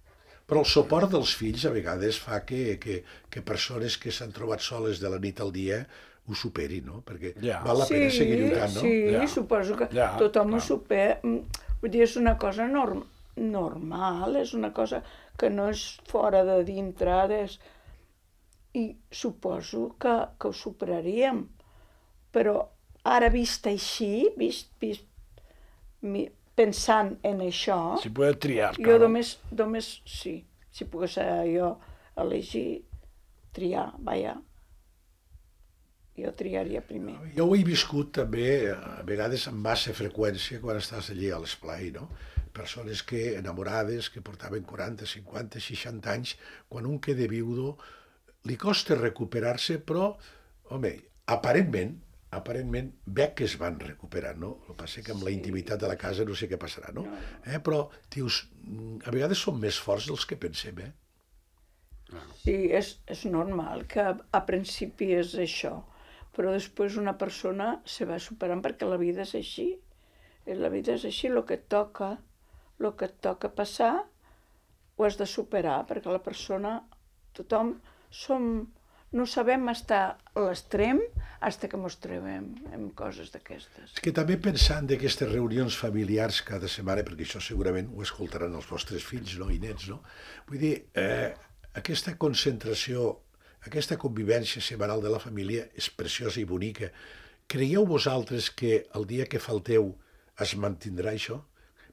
Speaker 2: Però el suport dels fills a vegades fa que, que, que persones que s'han trobat soles de la nit al dia ho superin, no? Perquè
Speaker 3: Ja.
Speaker 2: val la pena seguir lluitant, no?
Speaker 4: Sí,
Speaker 3: Ja.
Speaker 4: suposo que
Speaker 3: Ja,
Speaker 4: tothom ho
Speaker 3: clar.
Speaker 4: supera. Vull dir, és una cosa norm normal, és una cosa que no és fora de dintre, és... i suposo que, que ho superaríem. Però ara vist així, vist, vist, mi, pensant en això,
Speaker 3: Si puedes triar,
Speaker 4: jo
Speaker 3: claro.
Speaker 4: només, només sí, si pogués jo elegir, triar, vaja, jo triaria primer.
Speaker 2: Jo ho he viscut també, a vegades amb massa freqüència, quan estàs allí a l'esplai, no? Persones que, enamorades, que portaven quaranta, cinquanta, seixanta anys, quan un queda viudo, li costa recuperar-se, però, home, aparentment, aparentment veig que es van recuperar, no? El que passa que amb la intimitat de la casa no sé què passarà, no? Eh? Però, dius, a vegades som més forts dels que pensem, eh?
Speaker 4: Sí, és, és normal que a, a principi és això, però després una persona se va superant perquè la vida és així. I la vida és així, el que et toca, el que et toca passar, ho has de superar, perquè la persona, tothom som, no sabem estar a l'extrem fins que ens trobem amb coses d'aquestes.
Speaker 2: És que també pensant d'aquestes reunions familiars cada setmana, perquè això segurament ho escoltaran els vostres fills, no?, i nets, no? Vull dir, eh, aquesta concentració, aquesta convivència setmanal de la família és preciosa i bonica. Creieu vosaltres que el dia que falteu es mantindrà això?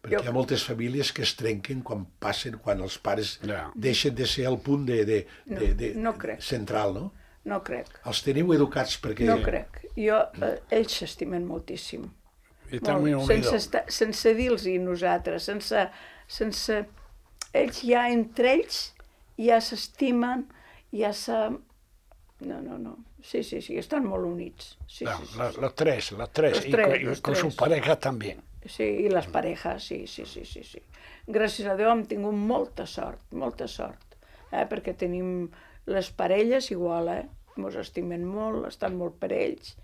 Speaker 2: Perquè hi ha moltes famílies que es trenquen quan passen, quan els pares
Speaker 3: Ja.
Speaker 2: deixen de ser el punt de, de, de, de,
Speaker 4: No, no crec.
Speaker 2: central, no?
Speaker 4: No crec.
Speaker 2: Els teniu educats perquè...
Speaker 4: No crec. Jo, eh, ells s'estimen moltíssim.
Speaker 3: I estan muy
Speaker 4: Molt, sense,
Speaker 3: unidos.
Speaker 4: estar, sense dir-los nosaltres, sense, sense... Ells ja, entre ells, ja s'estimen, ja se... No, no, no. Sí, sí, sí, estan molt units. Sí,
Speaker 3: Ya,
Speaker 4: sí, sí,
Speaker 3: los,
Speaker 4: sí.
Speaker 3: los tres, los tres,
Speaker 4: Los
Speaker 3: y,
Speaker 4: tres,
Speaker 3: con, y
Speaker 4: los
Speaker 3: con
Speaker 4: tres.
Speaker 3: sus parejas también.
Speaker 4: Sí, i les parejas, sí, sí, sí, sí, sí. Gràcies a Déu hem tingut molta sort, molta sort, eh? Perquè tenim les parelles igual, eh? Ens estimen molt, estan molt per ells.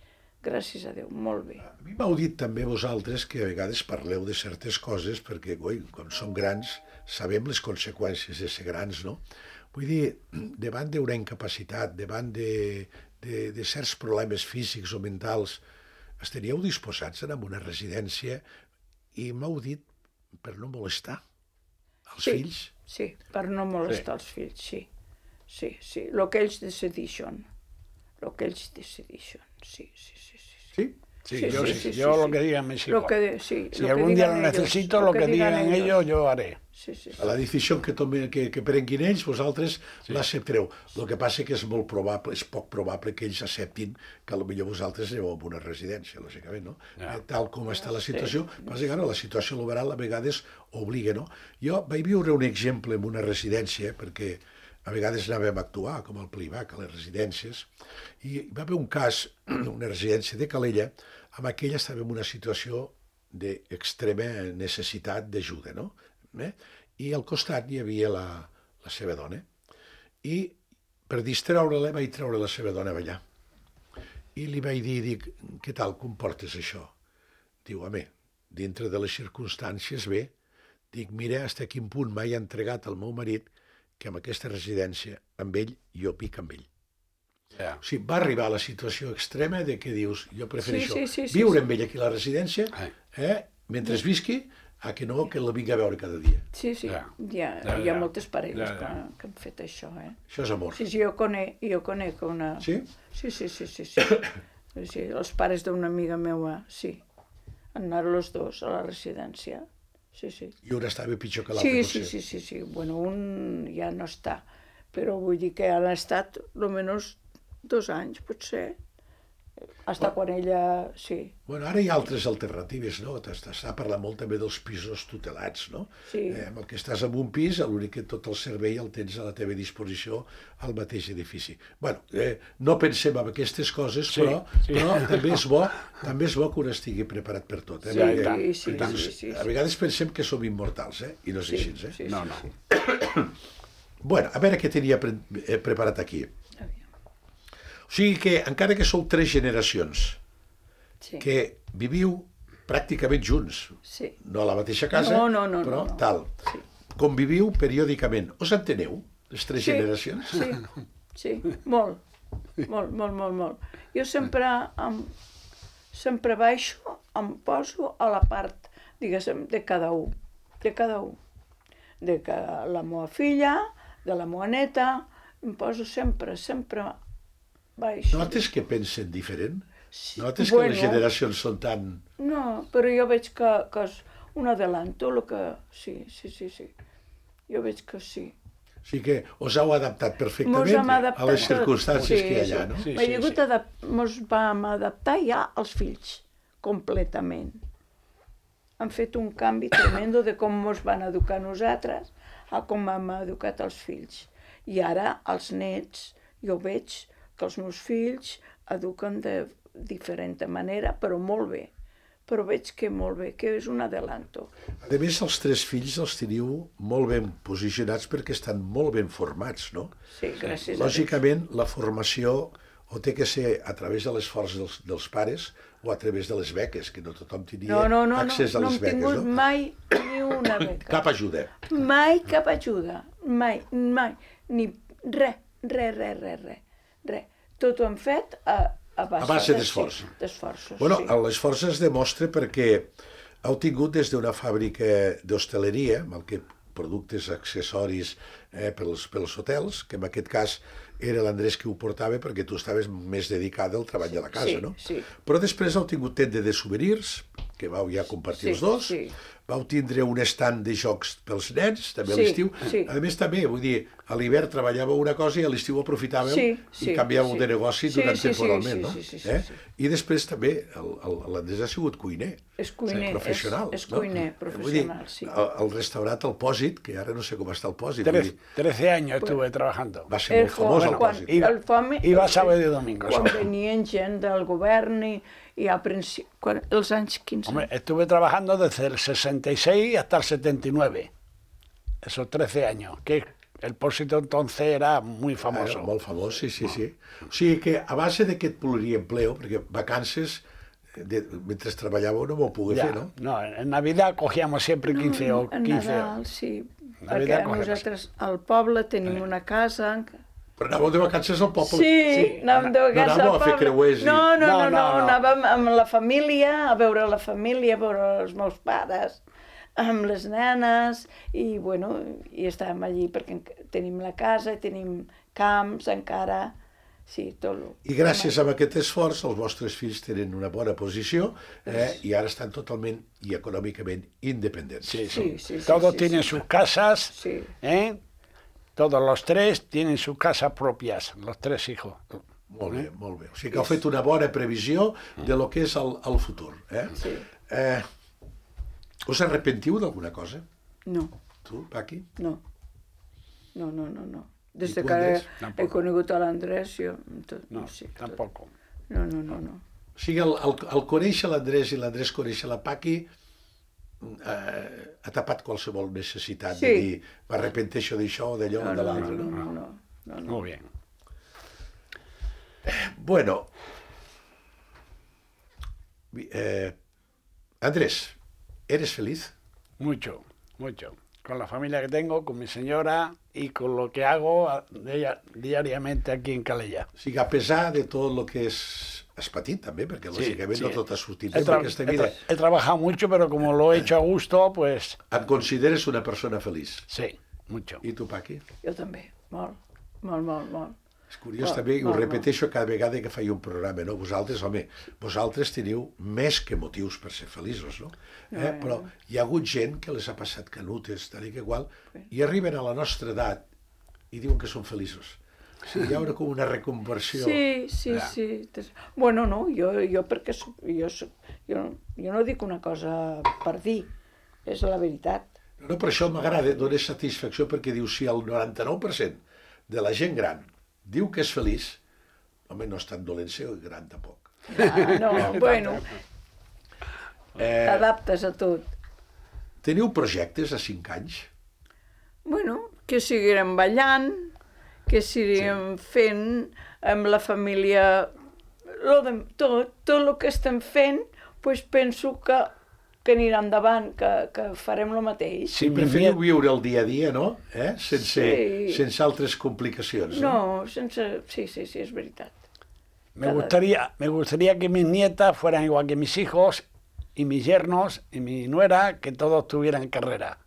Speaker 4: Gràcies a Déu, molt bé.
Speaker 2: A mi m'heu dit també vosaltres que a vegades parleu de certes coses perquè, coi, quan som grans sabem les conseqüències de ser grans, no? Vull dir, davant d'una incapacitat, davant de, de, de certs problemes físics o mentals, estaríeu disposats a anar a una residència i m'heu dit per no molestar els
Speaker 4: Sí,
Speaker 2: fills?
Speaker 4: sí, per no molestar els fills, sí. Sí, sí, el que ells decideixen. El que ells decideixen, sí, sí, sí. sí.
Speaker 2: Sí?
Speaker 3: Sí,
Speaker 4: Sí,
Speaker 3: yo,
Speaker 4: sí,
Speaker 3: sí,
Speaker 4: sí,
Speaker 3: yo
Speaker 4: sí,
Speaker 3: lo
Speaker 4: sí.
Speaker 3: que digan me es
Speaker 4: Lo
Speaker 3: igual.
Speaker 4: que de- sí,
Speaker 3: Si
Speaker 4: lo que
Speaker 3: algún día lo
Speaker 4: digan ellos,
Speaker 3: necesito,
Speaker 4: lo
Speaker 3: lo
Speaker 4: que
Speaker 3: que
Speaker 4: digan
Speaker 3: digan
Speaker 4: ellos.
Speaker 3: ellos, yo haré.
Speaker 4: Sí, sí, sí.
Speaker 2: A la decisió que, tome, que, que prenguin ells, vosaltres sí. l'acceptareu. El que passa que és molt probable, és poc probable que ells acceptin que potser vosaltres aneu a una residència, lògicament, no?
Speaker 3: Ja.
Speaker 2: Eh, Tal com està la situació, sí. Passa que ara la situació laboral a vegades obliga, no? Jo vaig viure un exemple en una residència, perquè a vegades anàvem a actuar, com al Plivac, a les residències, i hi va haver un cas, una residència de Calella, amb aquella estava en una situació d'extrema necessitat d'ajuda, no? Eh? I al costat hi havia la, la seva dona. I per distreure-la vaig treure la seva dona a ballar. I li vaig dir, dic, què tal, com portes això? Diu, home, dintre de les circumstàncies bé. Dic, mira, fins a quin punt m'he entregat al meu marit que amb aquesta residència, amb ell, jo pic amb ell.
Speaker 3: Ya.
Speaker 2: O sigui, va arribar a la situació extrema de que dius, jo prefereixo
Speaker 4: Sí, sí, sí, sí,
Speaker 2: viure
Speaker 4: sí.
Speaker 2: amb ell aquí a la residència,
Speaker 3: Ai.
Speaker 2: eh, mentre visqui, a que no que la vinga a veure cada dia.
Speaker 4: Sí, sí,
Speaker 3: Ja.
Speaker 4: hi ha,
Speaker 3: Ja,
Speaker 4: hi ha
Speaker 3: ja.
Speaker 4: moltes parelles
Speaker 3: Ja, ja.
Speaker 4: Que, que han fet això, eh?
Speaker 2: Això és amor.
Speaker 4: Sí, sí, jo conec, jo conec una...
Speaker 2: Sí?
Speaker 4: Sí, sí, sí, sí, sí. Sí, els pares d'una amiga meua, sí. Han anat els dos a la residència. Sí, sí.
Speaker 2: I un estava pitjor que l'altre,
Speaker 4: Sí,
Speaker 2: potser.
Speaker 4: sí, sí, sí, sí. Bueno, un ja no està, però vull dir que han estat almenys dos anys, potser. Hasta quan ella... Sí.
Speaker 2: Bueno, ara hi ha altres alternatives, no? S'està parlant molt també dels pisos tutelats, no?
Speaker 4: Sí.
Speaker 2: Eh, amb el que estàs en un pis, l'únic que tot el servei el tens a la teva disposició al mateix edifici. Bueno, eh, no pensem en aquestes coses,
Speaker 3: Sí,
Speaker 2: però,
Speaker 3: sí.
Speaker 2: però també és bo també és bo que un estigui preparat per tot. Eh?
Speaker 4: Sí,
Speaker 2: Perquè,
Speaker 4: i tant, sí,
Speaker 2: perquè
Speaker 4: sí, sí, sí.
Speaker 2: a vegades pensem que som immortals, eh? I no és
Speaker 4: Sí,
Speaker 2: així, eh?
Speaker 4: sí,
Speaker 3: No,
Speaker 4: sí,
Speaker 3: no.
Speaker 4: sí.
Speaker 2: Bueno, a veure què tenia pre eh, preparat aquí.
Speaker 4: Aviam.
Speaker 2: O sigui que, encara que sou tres generacions,
Speaker 4: Sí.
Speaker 2: que viviu pràcticament junts,
Speaker 4: Sí.
Speaker 2: no a la mateixa casa,
Speaker 4: No, no, no,
Speaker 2: però
Speaker 4: no, no.
Speaker 2: tal.
Speaker 4: Sí.
Speaker 2: Conviviu periòdicament. Us enteneu, les tres
Speaker 4: Sí,
Speaker 2: generacions?
Speaker 4: Sí, sí, molt, molt, molt, molt, molt. Jo sempre, em, sempre baixo, em poso a la part, diguéssim, de cada un, de cada un. De que la meva filla, de la meva neta, em poso sempre, sempre baixo.
Speaker 2: Notes que pensen diferent?
Speaker 4: Sí,
Speaker 2: Notes que
Speaker 4: bueno.
Speaker 2: les generacions són tan...
Speaker 4: No, però jo veig que, que és un adelanto, el que... Sí, sí, sí, sí. Jo veig que sí.
Speaker 2: O sigui que us heu adaptat
Speaker 4: Mos
Speaker 2: perfectament
Speaker 4: hem adaptat
Speaker 2: a les circumstàncies
Speaker 4: sí,
Speaker 2: que hi ha allà, no?
Speaker 3: Sí,
Speaker 4: M'he
Speaker 3: sí,
Speaker 4: hagut
Speaker 3: sí.
Speaker 4: adap... Mos vam adaptar ja als fills, completament. Han fet un canvi tremendo de com mos van educar nosaltres a com hem educat els fills. I ara els nets, jo veig que els meus fills eduquen de diferent manera, però molt bé. Però veig que molt bé, que és un adelanto.
Speaker 2: A més, els tres fills els teniu molt ben posicionats perquè estan molt ben formats, no?
Speaker 4: Sí, gràcies a Déu.
Speaker 2: Lògicament, la formació o té que ser a través de l'esforç dels, dels pares o a través de les beques, que no tothom tenia
Speaker 4: No, no, no, no,
Speaker 2: accés a
Speaker 4: no
Speaker 2: les
Speaker 4: hem
Speaker 2: beques,
Speaker 4: tingut
Speaker 2: no?
Speaker 4: mai ni una beca.
Speaker 2: Cap ajuda.
Speaker 4: Mai cap ajuda, mai, mai, ni res, res, res, res, res. res. Tot ho hem fet a, a base,
Speaker 2: A base
Speaker 4: de-
Speaker 2: d'esforç.
Speaker 4: sí, d'esforços.
Speaker 2: Bueno,
Speaker 4: sí.
Speaker 2: l'esforç es demostra perquè heu tingut des d'una fàbrica d'hostaleria, amb el que productes, accessoris eh, pels, pels hotels, que en aquest cas era l'Andrés qui ho portava perquè tu estaves més dedicada al treball de la casa,
Speaker 4: sí,
Speaker 2: no?
Speaker 4: sí.
Speaker 2: Però després heu tingut tenda de souvenirs, que vau ja compartir
Speaker 4: Sí,
Speaker 2: els dos,
Speaker 4: sí.
Speaker 2: vau tindre un estand de jocs pels nens, també a
Speaker 4: Sí,
Speaker 2: l'estiu.
Speaker 4: sí.
Speaker 2: A més, també, vull dir, a l'hivern treballàveu una cosa i a l'estiu aprofitàveu
Speaker 4: Sí,
Speaker 2: i
Speaker 4: sí,
Speaker 2: canviàveu
Speaker 4: sí.
Speaker 2: de negoci
Speaker 4: Sí,
Speaker 2: durant
Speaker 4: sí, sí,
Speaker 2: temporalment,
Speaker 4: sí,
Speaker 2: no?
Speaker 4: sí, sí, sí,
Speaker 2: eh?
Speaker 4: sí.
Speaker 2: I després també el- el- l'Andrés ha sigut cuiner.
Speaker 4: És cuiner,
Speaker 2: professional.
Speaker 4: és, és
Speaker 2: no?
Speaker 4: cuiner professional,
Speaker 2: Vull dir,
Speaker 4: sí.
Speaker 2: el, el restaurant El Pòsit, que ara no sé com està el Pòsit, vull
Speaker 3: Trece,
Speaker 2: dir,
Speaker 3: trece años estuve trabajando.
Speaker 2: va ser molt famós el
Speaker 4: quan,
Speaker 2: Pòsit.
Speaker 3: I-
Speaker 4: el fome,
Speaker 3: iba sábado y domingo,
Speaker 4: Quan
Speaker 3: solo.
Speaker 4: venien gent del govern i, i a principi, quan, els anys quinze.
Speaker 3: Hombre, estuve trabajando desde el sesenta y seis hasta el setenta y nueve. Esos trece años. Que el Pósito entonces era muy famoso.
Speaker 2: Era molt famós, sí, sí, sí. O sigui que a base d'aquest pluriempleo, perquè vacances, de, mentre treballàveu no m'ho pogué
Speaker 3: Ya,
Speaker 2: fer, no?
Speaker 3: no, en Navidad cogíamos siempre quince o
Speaker 4: En
Speaker 3: quince.
Speaker 4: Nadal, sí.
Speaker 3: Navidad
Speaker 4: Perquè
Speaker 3: cogemos.
Speaker 4: nosaltres al poble tenim una casa. en-
Speaker 2: Però anàveu de vacances al poble.
Speaker 4: Sí,
Speaker 3: Sí,
Speaker 4: anàvem de
Speaker 2: no
Speaker 4: vacances
Speaker 2: anàveu
Speaker 4: al
Speaker 2: a fer
Speaker 4: poble.
Speaker 2: creuers i-
Speaker 4: No, no, no,
Speaker 3: No,
Speaker 4: no,
Speaker 3: no, no.
Speaker 4: anàvem amb la família, a veure la família, a veure els meus pares, amb les nenes, i bueno, i estàvem allí perquè enc- tenim la casa, tenim camps encara, sí, tot el...
Speaker 2: I gràcies a aquest esforç els vostres fills tenen una bona posició eh, i ara estan totalment i econòmicament independents.
Speaker 3: Sí,
Speaker 4: Sí,
Speaker 3: sí.
Speaker 4: sí, sí,
Speaker 3: Todos
Speaker 4: sí,
Speaker 3: tienen
Speaker 4: sí.
Speaker 3: sus casas,
Speaker 4: Sí.
Speaker 3: ¿eh? Todos los tres tienen sus casas propias, los tres hijos.
Speaker 2: Molt bé, molt bé. O sigui que heu fet una bona previsió de lo que és el, el futur. Eh?
Speaker 4: Sí.
Speaker 2: Eh, us arrepentiu d'alguna cosa?
Speaker 4: No,
Speaker 2: Tu, Paqui?
Speaker 4: no, no, no, no, no. Des
Speaker 2: I
Speaker 4: de
Speaker 2: tu,
Speaker 4: que
Speaker 2: Andrés?
Speaker 4: he
Speaker 3: Tampoc.
Speaker 4: conegut a l'Andrés, jo... Tot,
Speaker 3: No,
Speaker 4: sí, tot.
Speaker 3: tampoco.
Speaker 4: No, no, no, no.
Speaker 2: O sigui, el, el, el conèixer l'Andrés i l'Andrés conèixer la Paqui eh, ha tapat qualsevol necessitat
Speaker 4: Sí.
Speaker 2: de dir m'arrepenteixo d'això o d'allò
Speaker 4: No,
Speaker 2: o de
Speaker 4: no, no,
Speaker 2: l'altre.
Speaker 4: no,
Speaker 2: No?
Speaker 4: no, no, no, no.
Speaker 3: Muy bien.
Speaker 2: Bueno, eh, Andrés, ¿eres feliz?
Speaker 3: Mucho, mucho. Con la familia que tengo, con mi señora y con lo que hago a- dia- diariamente aquí en Calella.
Speaker 2: O sigui, a pesar de tot el que és... Has patit també, perquè lògicament no tot ha sortit bé
Speaker 3: He, tra-
Speaker 2: per aquesta
Speaker 3: he
Speaker 2: vida.
Speaker 3: tra- he trabajado mucho, pero como lo he hecho a gusto, pues
Speaker 2: Et consideres una persona feliç.
Speaker 3: sí, mucho.
Speaker 2: I tu, Paqui?
Speaker 4: Jo també, molt, molt, molt, molt.
Speaker 2: És curiós
Speaker 4: No,
Speaker 2: també, i ho
Speaker 4: no, no.
Speaker 2: repeteixo cada vegada que faig un programa, no? Vosaltres, home, vosaltres teniu més que motius per ser feliços, no? Eh?
Speaker 4: no.
Speaker 2: Però hi ha hagut gent que les ha passat canutes, tal i que igual, i arriben a la nostra edat i diuen que són feliços. O sigui, hi ha una, com una reconversió.
Speaker 4: Sí, sí,
Speaker 3: Ja.
Speaker 4: sí. Tes- Bueno, no, jo, jo perquè soc, jo, soc, jo, jo no dic una cosa per dir, és la veritat.
Speaker 2: No, per això m'agrada, dona satisfacció perquè diu si el noranta-nou per cent de la gent gran diu que és feliç, home, no és tan dolent ser gran tampoc.
Speaker 4: Ah, no, bueno,
Speaker 2: Eh,
Speaker 4: t'adaptes a tot.
Speaker 2: teniu projectes a cinc anys?
Speaker 4: Bueno, que seguirem ballant, que seguirem sí. fent amb la família, lo de, tot, tot el que estem fent, pues penso que, que anirà endavant, que, que farem el mateix.
Speaker 3: Sí, mi
Speaker 2: Preferiu
Speaker 3: nie-
Speaker 2: viure el dia a dia, no? Eh? Sense,
Speaker 4: Sí.
Speaker 2: sense altres complicacions, no?
Speaker 4: No, sense... Sí, sí, sí, és veritat.
Speaker 3: Me gustaría, me gustaría que mis nietas fueran igual que mis hijos y mis yernos y mi nuera, que todos tuvieran carrera.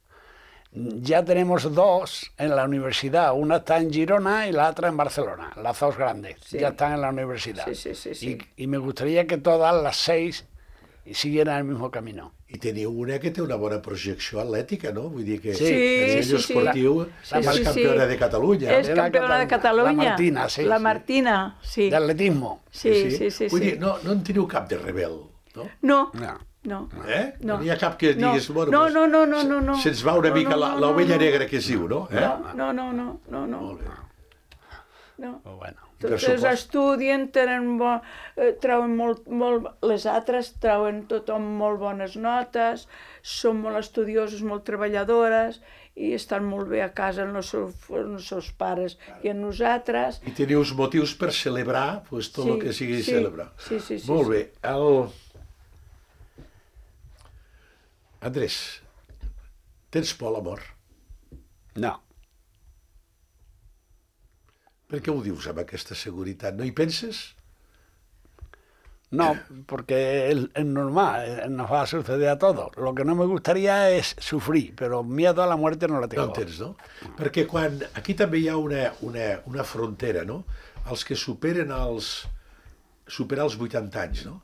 Speaker 3: Ya tenemos dos en la universidad, una está en Girona y la otra en Barcelona, las dos grandes,
Speaker 4: Sí.
Speaker 3: ya están en la universidad.
Speaker 4: Sí, sí, sí, sí.
Speaker 3: Y, y me gustaría que todas las seis siguieran el mismo camino.
Speaker 2: I teniu una que té una bona projecció atlètica, no? Vull dir que
Speaker 3: Sí,
Speaker 2: a nivell
Speaker 4: sí, sí.
Speaker 2: esportiu
Speaker 3: Sí,
Speaker 2: és
Speaker 3: sí,
Speaker 2: campiona
Speaker 4: sí.
Speaker 2: de Catalunya.
Speaker 4: És
Speaker 3: De la
Speaker 4: campiona de
Speaker 3: Catalunya.
Speaker 4: Catalunya.
Speaker 3: La Martina, sí,
Speaker 4: La
Speaker 3: sí.
Speaker 4: Martina, sí.
Speaker 3: De atletismo.
Speaker 4: Sí, sí, sí.
Speaker 2: Vull
Speaker 4: sí.
Speaker 2: dir, no, no en teniu cap de rebel, no?
Speaker 4: No,
Speaker 3: No.
Speaker 4: no.
Speaker 2: Eh?
Speaker 4: No.
Speaker 2: No n'hi ha cap que
Speaker 4: No.
Speaker 2: diguis... Bueno,
Speaker 4: No,
Speaker 2: pues,
Speaker 4: no, no, no, no, no.
Speaker 2: Se'ns va una
Speaker 4: No,
Speaker 2: mica
Speaker 4: no,
Speaker 2: la-
Speaker 4: no,
Speaker 2: l'ovella
Speaker 4: no, no.
Speaker 2: negra que es diu, no? Eh?
Speaker 4: No, no, no, no, no, no.
Speaker 2: Molt bé.
Speaker 4: no.
Speaker 3: Pues bueno.
Speaker 2: Per
Speaker 4: Tots
Speaker 2: supost.
Speaker 4: estudien, tenen bo, eh, trauen molt, molt, les altres trauen tothom molt bones notes, són molt estudioses, molt treballadores i estan molt bé a casa amb els seus, amb els seus pares i amb nosaltres.
Speaker 2: I teniu uns motius per celebrar pues, tot
Speaker 4: Sí,
Speaker 2: el que sigui
Speaker 4: sí,
Speaker 2: celebrar.
Speaker 4: sí, sí, sí,
Speaker 2: Molt
Speaker 4: sí.
Speaker 2: bé. El... Andrés, tens por a l'amor?
Speaker 3: No.
Speaker 2: Per què ho dius amb aquesta seguretat? No hi penses?
Speaker 3: No, porque es, es normal, eh, nos va a suceder a todos. Lo que no me gustaría es sufrir, pero miedo a la muerte no la
Speaker 2: No
Speaker 3: tengo.
Speaker 2: entens, no? Perquè quan... Aquí també hi ha una, una, una frontera, no? Els que superen els... superar els vuitanta anys, no?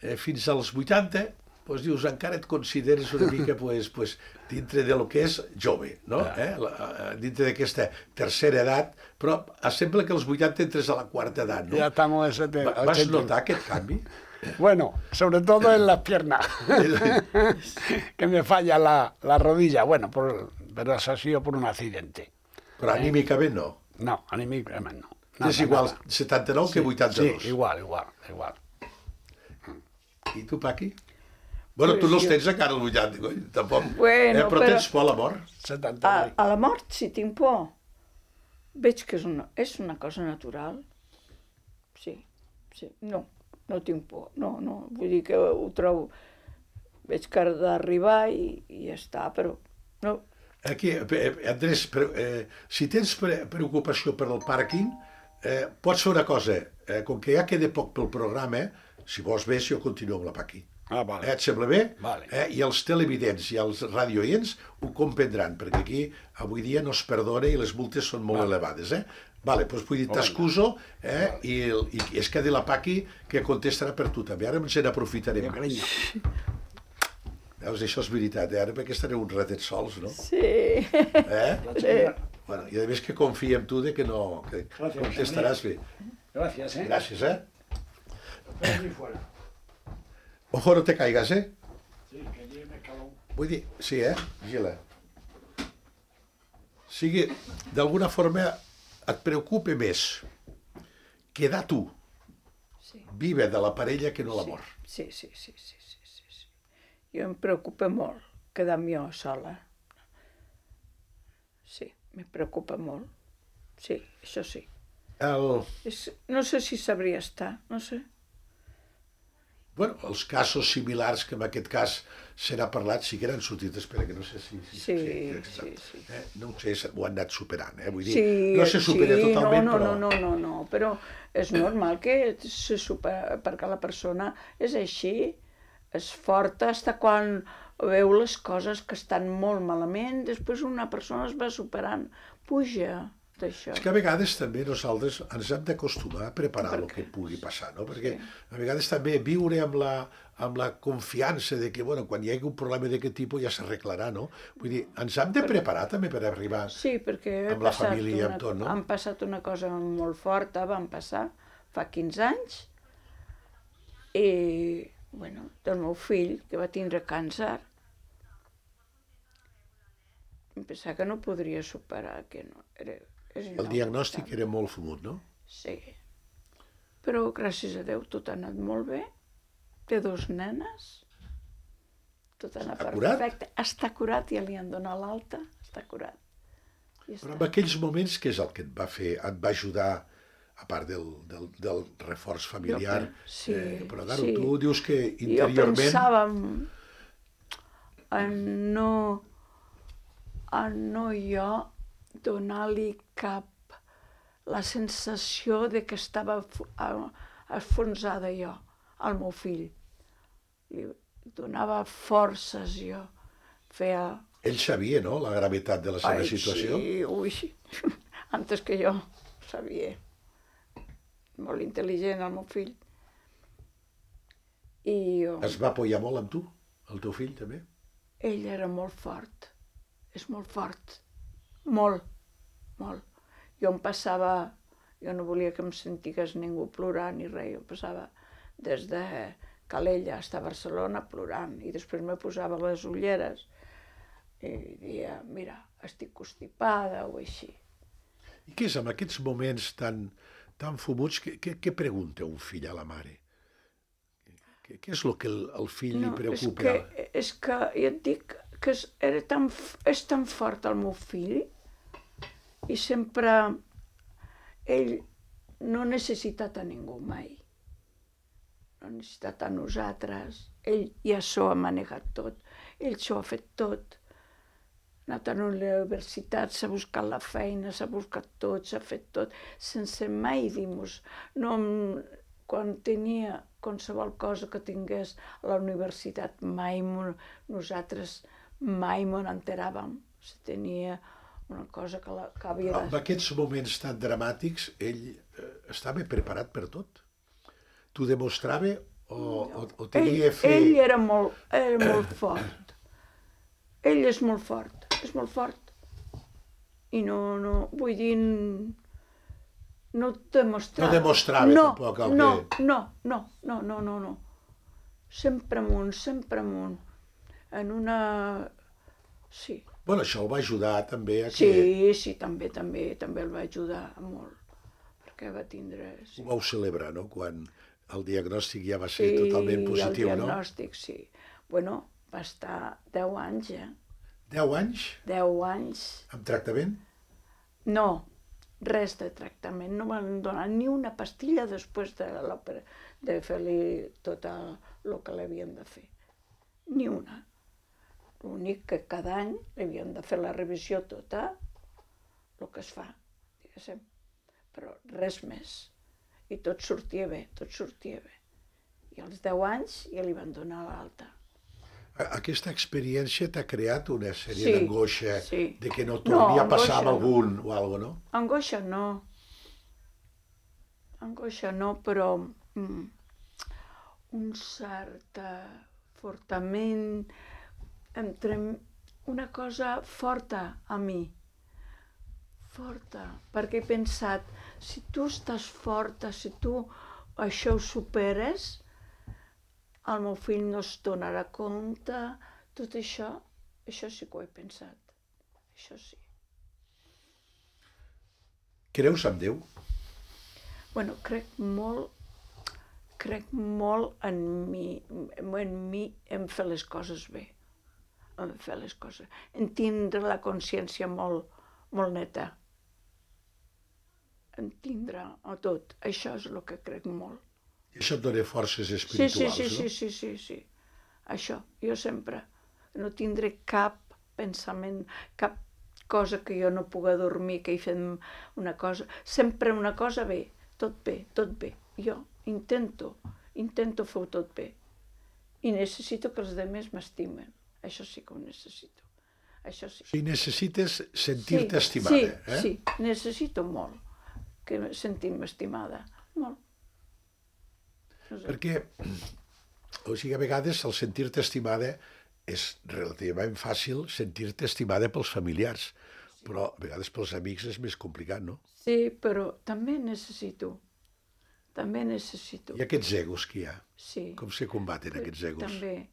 Speaker 2: Eh, fins als vuitanta, doncs dius, encara et consideres una mica pues, pues, dintre de lo que és jove, no? Eh? La, dintre d'aquesta tercera edat, però sembla que als vuitanta entres a la quarta edat, no?
Speaker 3: Ya estamos en setenta.
Speaker 2: Va- Vas notar aquest canvi?
Speaker 3: Bueno, sobre todo en las piernas, que me falla la, la rodilla. Bueno, por, pero eso ha sido por un accidente.
Speaker 2: Però anímicament no.
Speaker 3: No, anímicamente no.
Speaker 2: És
Speaker 3: Nada,
Speaker 2: igual
Speaker 3: nada.
Speaker 2: setanta-nou que vuitanta-dos.
Speaker 3: Sí, igual, igual, igual.
Speaker 2: I tu, Paqui? Bueno, tu
Speaker 4: Pues
Speaker 2: no els
Speaker 4: jo-
Speaker 2: tens encara als vuitanta, coi, tampoc.
Speaker 4: Bueno,
Speaker 2: eh, però,
Speaker 4: però-
Speaker 2: tens por a la mort?
Speaker 3: setenta.
Speaker 4: A, a la mort, si tinc por, veig que és una, és una cosa natural. Sí, sí. No, no tinc por. No, no. Vull dir que ho trobo... Veig que ha d'arribar i, i ja està, però... No,
Speaker 2: Aquí, eh, Andrés, pre- eh, si tens pre preocupació per el pàrquing, eh, pots fer una cosa. Eh, com que ja queda poc pel programa, si vols bé, si jo continuo amb la Paqui.
Speaker 3: Ah, vale.
Speaker 2: Eh, et sembla bé?
Speaker 3: Vale.
Speaker 2: Eh, I els televidents i els radioients ho comprendran, perquè aquí avui dia no es perdona i les multes són molt elevades. Eh? Vale, doncs vull dir, t'excuso eh, i, el- i es quedi la Paqui que contestarà per tu també. Ara ens n'aprofitarem.
Speaker 3: Cariño.
Speaker 2: Veus, això és veritat, eh? Ara perquè estareu uns ratets sols, no?
Speaker 4: sí.
Speaker 2: Eh?
Speaker 4: sí.
Speaker 2: Bueno, i a més que confia en tu de que no, que
Speaker 3: Gràcies,
Speaker 2: contestaràs bé.
Speaker 3: Gracias, ¿eh?
Speaker 2: Gràcies, eh?
Speaker 3: Aquí fuera.
Speaker 2: Ojo, no te caigas, eh?
Speaker 3: Sí, que lleve calor.
Speaker 2: Vull dir, sí, eh? Vigila. O sigui, d'alguna forma et preocupa més quedar tu
Speaker 4: Sí.
Speaker 2: viva de la parella que no la
Speaker 4: Sí,
Speaker 2: mort.
Speaker 4: sí, sí, sí, sí, sí, sí, sí. Jo em preocupa molt quedar-me jo sola. Sí, me preocupa molt. Sí, això sí.
Speaker 2: El,
Speaker 4: És, no sé si sabria estar, no sé.
Speaker 2: bueno, els casos similars que en aquest cas se n'ha parlat sí que eren sortit, espera, que no sé si... si
Speaker 4: Sí,
Speaker 2: crec que
Speaker 4: sí,
Speaker 2: està.
Speaker 4: sí.
Speaker 2: Eh, no ho sé, ho han anat superant, eh? Vull dir,
Speaker 4: Sí,
Speaker 2: no se supera
Speaker 4: sí,
Speaker 2: totalment,
Speaker 4: no, no,
Speaker 2: però...
Speaker 4: no, no, no, no, però és normal que se supera, perquè la persona és així, és forta, fins quan veu les coses que estan molt malament, després una persona es va superant, puja d'això.
Speaker 2: És que a vegades també nosaltres ens hem d'acostumar a preparar el que pugui passar, no? Perquè a vegades també viure amb la, amb la confiança de que, bueno, quan hi hagi un problema d'aquest tipus ja s'arreglarà, no? Vull dir, ens hem de preparar també per arribar...
Speaker 4: Sí, perquè he
Speaker 2: amb la
Speaker 4: passat
Speaker 2: família i
Speaker 4: una,
Speaker 2: amb tot, no?
Speaker 4: han passat una cosa molt forta, van passar fa quinze anys, i, bueno, del meu fill, que va tindre càncer, em pensava que no podria superar, que no, era, era
Speaker 2: El diagnòstic era molt fumut, no?
Speaker 4: Sí, però gràcies a Déu tot ha anat molt bé, té dos nenes, tot ha anat
Speaker 2: Està curat?
Speaker 4: perfecte, està curat, ja li han donat l'alta, està curat. I
Speaker 2: Però
Speaker 4: està.
Speaker 2: en aquells moments, què és el que et va fer, et va ajudar, a part del, del, del reforç familiar?
Speaker 4: Jo pe- sí,
Speaker 2: eh, però, claro,
Speaker 4: sí.
Speaker 2: tu dius que
Speaker 4: Jo
Speaker 2: interiorment...
Speaker 4: pensava en, en no, en no jo donar-li cap la sensació de que estava fu- a- enfonsada jo, al meu fill. Li donava forces jo, feia...
Speaker 2: Ell sabia, no?, la gravetat de la seva
Speaker 4: Ai,
Speaker 2: situació.
Speaker 4: sí, ui, antes que jo sabia. Molt intel·ligent el meu fill. I jo...
Speaker 2: Es va apoyar molt amb tu, el teu fill, també?
Speaker 4: Ell era molt fort, és molt fort, molt, molt. Jo em passava, jo no volia que em sentigués ningú plorant ni res, jo em passava des de Calella fins a Barcelona plorant i després me posava les ulleres i dia, mira, estic constipada o així.
Speaker 2: I què és, en aquests moments tan, tan fumuts, què, què, què pregunta un fill a la mare? Què, què és el que el, el fill li preocupa?
Speaker 4: És que, és que jo et dic que és, era tan, f- és tan fort el meu fill i sempre ell no ha necessitat a ningú mai. No ha necessitat a nosaltres. Ell ja s'ho ha manegat tot. Ell s'ho ha fet tot. anat a la universitat, s'ha buscat la feina, s'ha buscat tot, s'ha fet tot, sense mai dir-nos. No, quan tenia qualsevol cosa que tingués a la universitat, mai nosaltres mai m'ho enteràvem. Si tenia una cosa que, la, que havia de...
Speaker 2: En aquests moments tan dramàtics, ell eh, estava preparat per tot? T'ho demostrava o, o, o tenia
Speaker 4: ell,
Speaker 2: fe?
Speaker 4: Ell era molt, era molt fort. Ell és molt fort, és molt fort. I no, no, vull dir, no demostrava.
Speaker 2: No demostrava
Speaker 4: no,
Speaker 2: tampoc el
Speaker 4: no,
Speaker 2: que...
Speaker 4: No, no, no, no, no, no. Sempre amunt, sempre amunt. En una... Sí.
Speaker 2: Bueno, això el va ajudar també a que...
Speaker 4: Sí, sí, també, també, també el va ajudar molt, perquè va tindre... Sí.
Speaker 2: Ho vau celebrar, no?, quan el diagnòstic ja va ser sí, totalment positiu, no?
Speaker 4: Sí, el diagnòstic, no? Sí. Bueno, va estar deu anys, eh?
Speaker 2: Deu anys?
Speaker 4: Deu anys.
Speaker 2: Amb tractament?
Speaker 4: No, res de tractament. No van donar ni una pastilla després de l'òpera, de fer-li tot el que l'havien de fer. Ni una. L'únic que cada any havien de fer la revisió tota, el que es fa, diguéssim. Però res més. I tot sortia bé, tot sortia bé. I als deu anys ja li van donar l'alta.
Speaker 2: Aquesta experiència t'ha creat una sèrie
Speaker 4: sí,
Speaker 2: d'angoixa
Speaker 4: sí.
Speaker 2: de que no torni no, a passar amb
Speaker 4: no.
Speaker 2: algun o alguna cosa, no?
Speaker 4: Angoixa no. Angoixa no, però mm, un cert fortament, entre una cosa forta a mi, forta, perquè he pensat, si tu estàs forta, si tu això ho superes, el meu fill no es donarà compte, tot això, això sí que ho he pensat, això sí.
Speaker 2: Creus en Déu?
Speaker 4: Bueno, crec molt, crec molt en mi, en mi, en fer les coses bé. En fer les coses, en tindre la consciència molt, molt neta, en tindre a tot, això és el que crec molt.
Speaker 2: I això et dona forces espirituals,
Speaker 4: sí, sí, sí,
Speaker 2: no?
Speaker 4: Sí, sí, sí, sí, això, jo sempre, no tindré cap pensament, cap cosa que jo no pugui dormir, que hi fem una cosa, sempre una cosa bé, tot bé, tot bé, jo intento, intento fer tot bé, i necessito que els altres m'estimen. Això sí que ho necessito. Això sí.
Speaker 2: Si necessites sentir-te
Speaker 4: sí,
Speaker 2: estimada,
Speaker 4: sí,
Speaker 2: eh?
Speaker 4: Sí, necessito molt que sentir-me estimada. Molt. No sé.
Speaker 2: Perquè, o sigui, a vegades el sentir-te estimada és relativament fàcil sentir-te estimada pels familiars, però a vegades pels amics és més complicat, no?
Speaker 4: Sí, però també necessito. També necessito.
Speaker 2: I aquests egos que hi ha?
Speaker 4: Sí.
Speaker 2: Com se combaten aquests egos?
Speaker 4: També.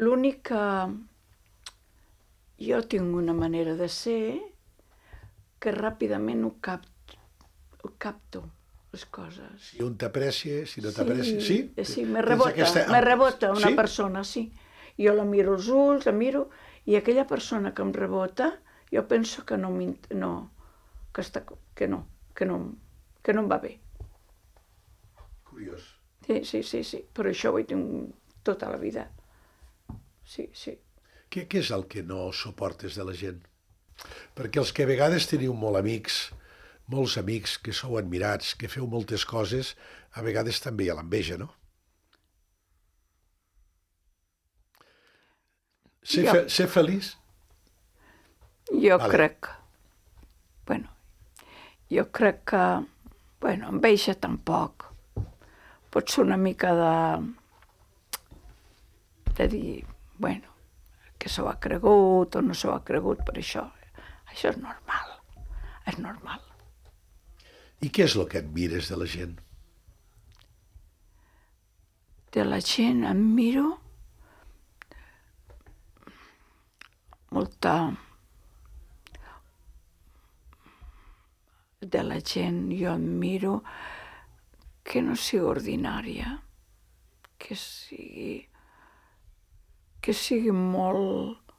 Speaker 4: L'únic que jo tinc una manera de ser que ràpidament ho capto, ho capto les coses.
Speaker 2: Si un t'aprecia, si no t'aprecia... Sí,
Speaker 4: sí, sí me rebota, aquesta... me rebota una sí? persona, sí. Jo la miro als ulls, la miro, i aquella persona que em rebota, jo penso que no, no, que, està, que no, que no, que no em va bé.
Speaker 2: Curiós.
Speaker 4: Sí, sí, sí, sí, però això ho he tingut tota la vida. Sí, sí.
Speaker 2: Què, què és el que no suportes de la gent? Perquè els que a vegades teniu molt amics, molts amics que sou admirats, que feu moltes coses, a vegades també hi ha l'enveja, no? Ser, fe, ser feliç?
Speaker 4: Jo vale. crec... Bueno, jo crec que... Bueno, enveja tampoc. Pot ser una mica de... de dir... Bueno, que s'ho ha cregut o no s'ho ha cregut, per això. Això és normal, és normal.
Speaker 2: I què és el que admires de la gent?
Speaker 4: De la gent admiro molta... De la gent jo admiro que no sigui ordinària, que sigui... que sigui molt,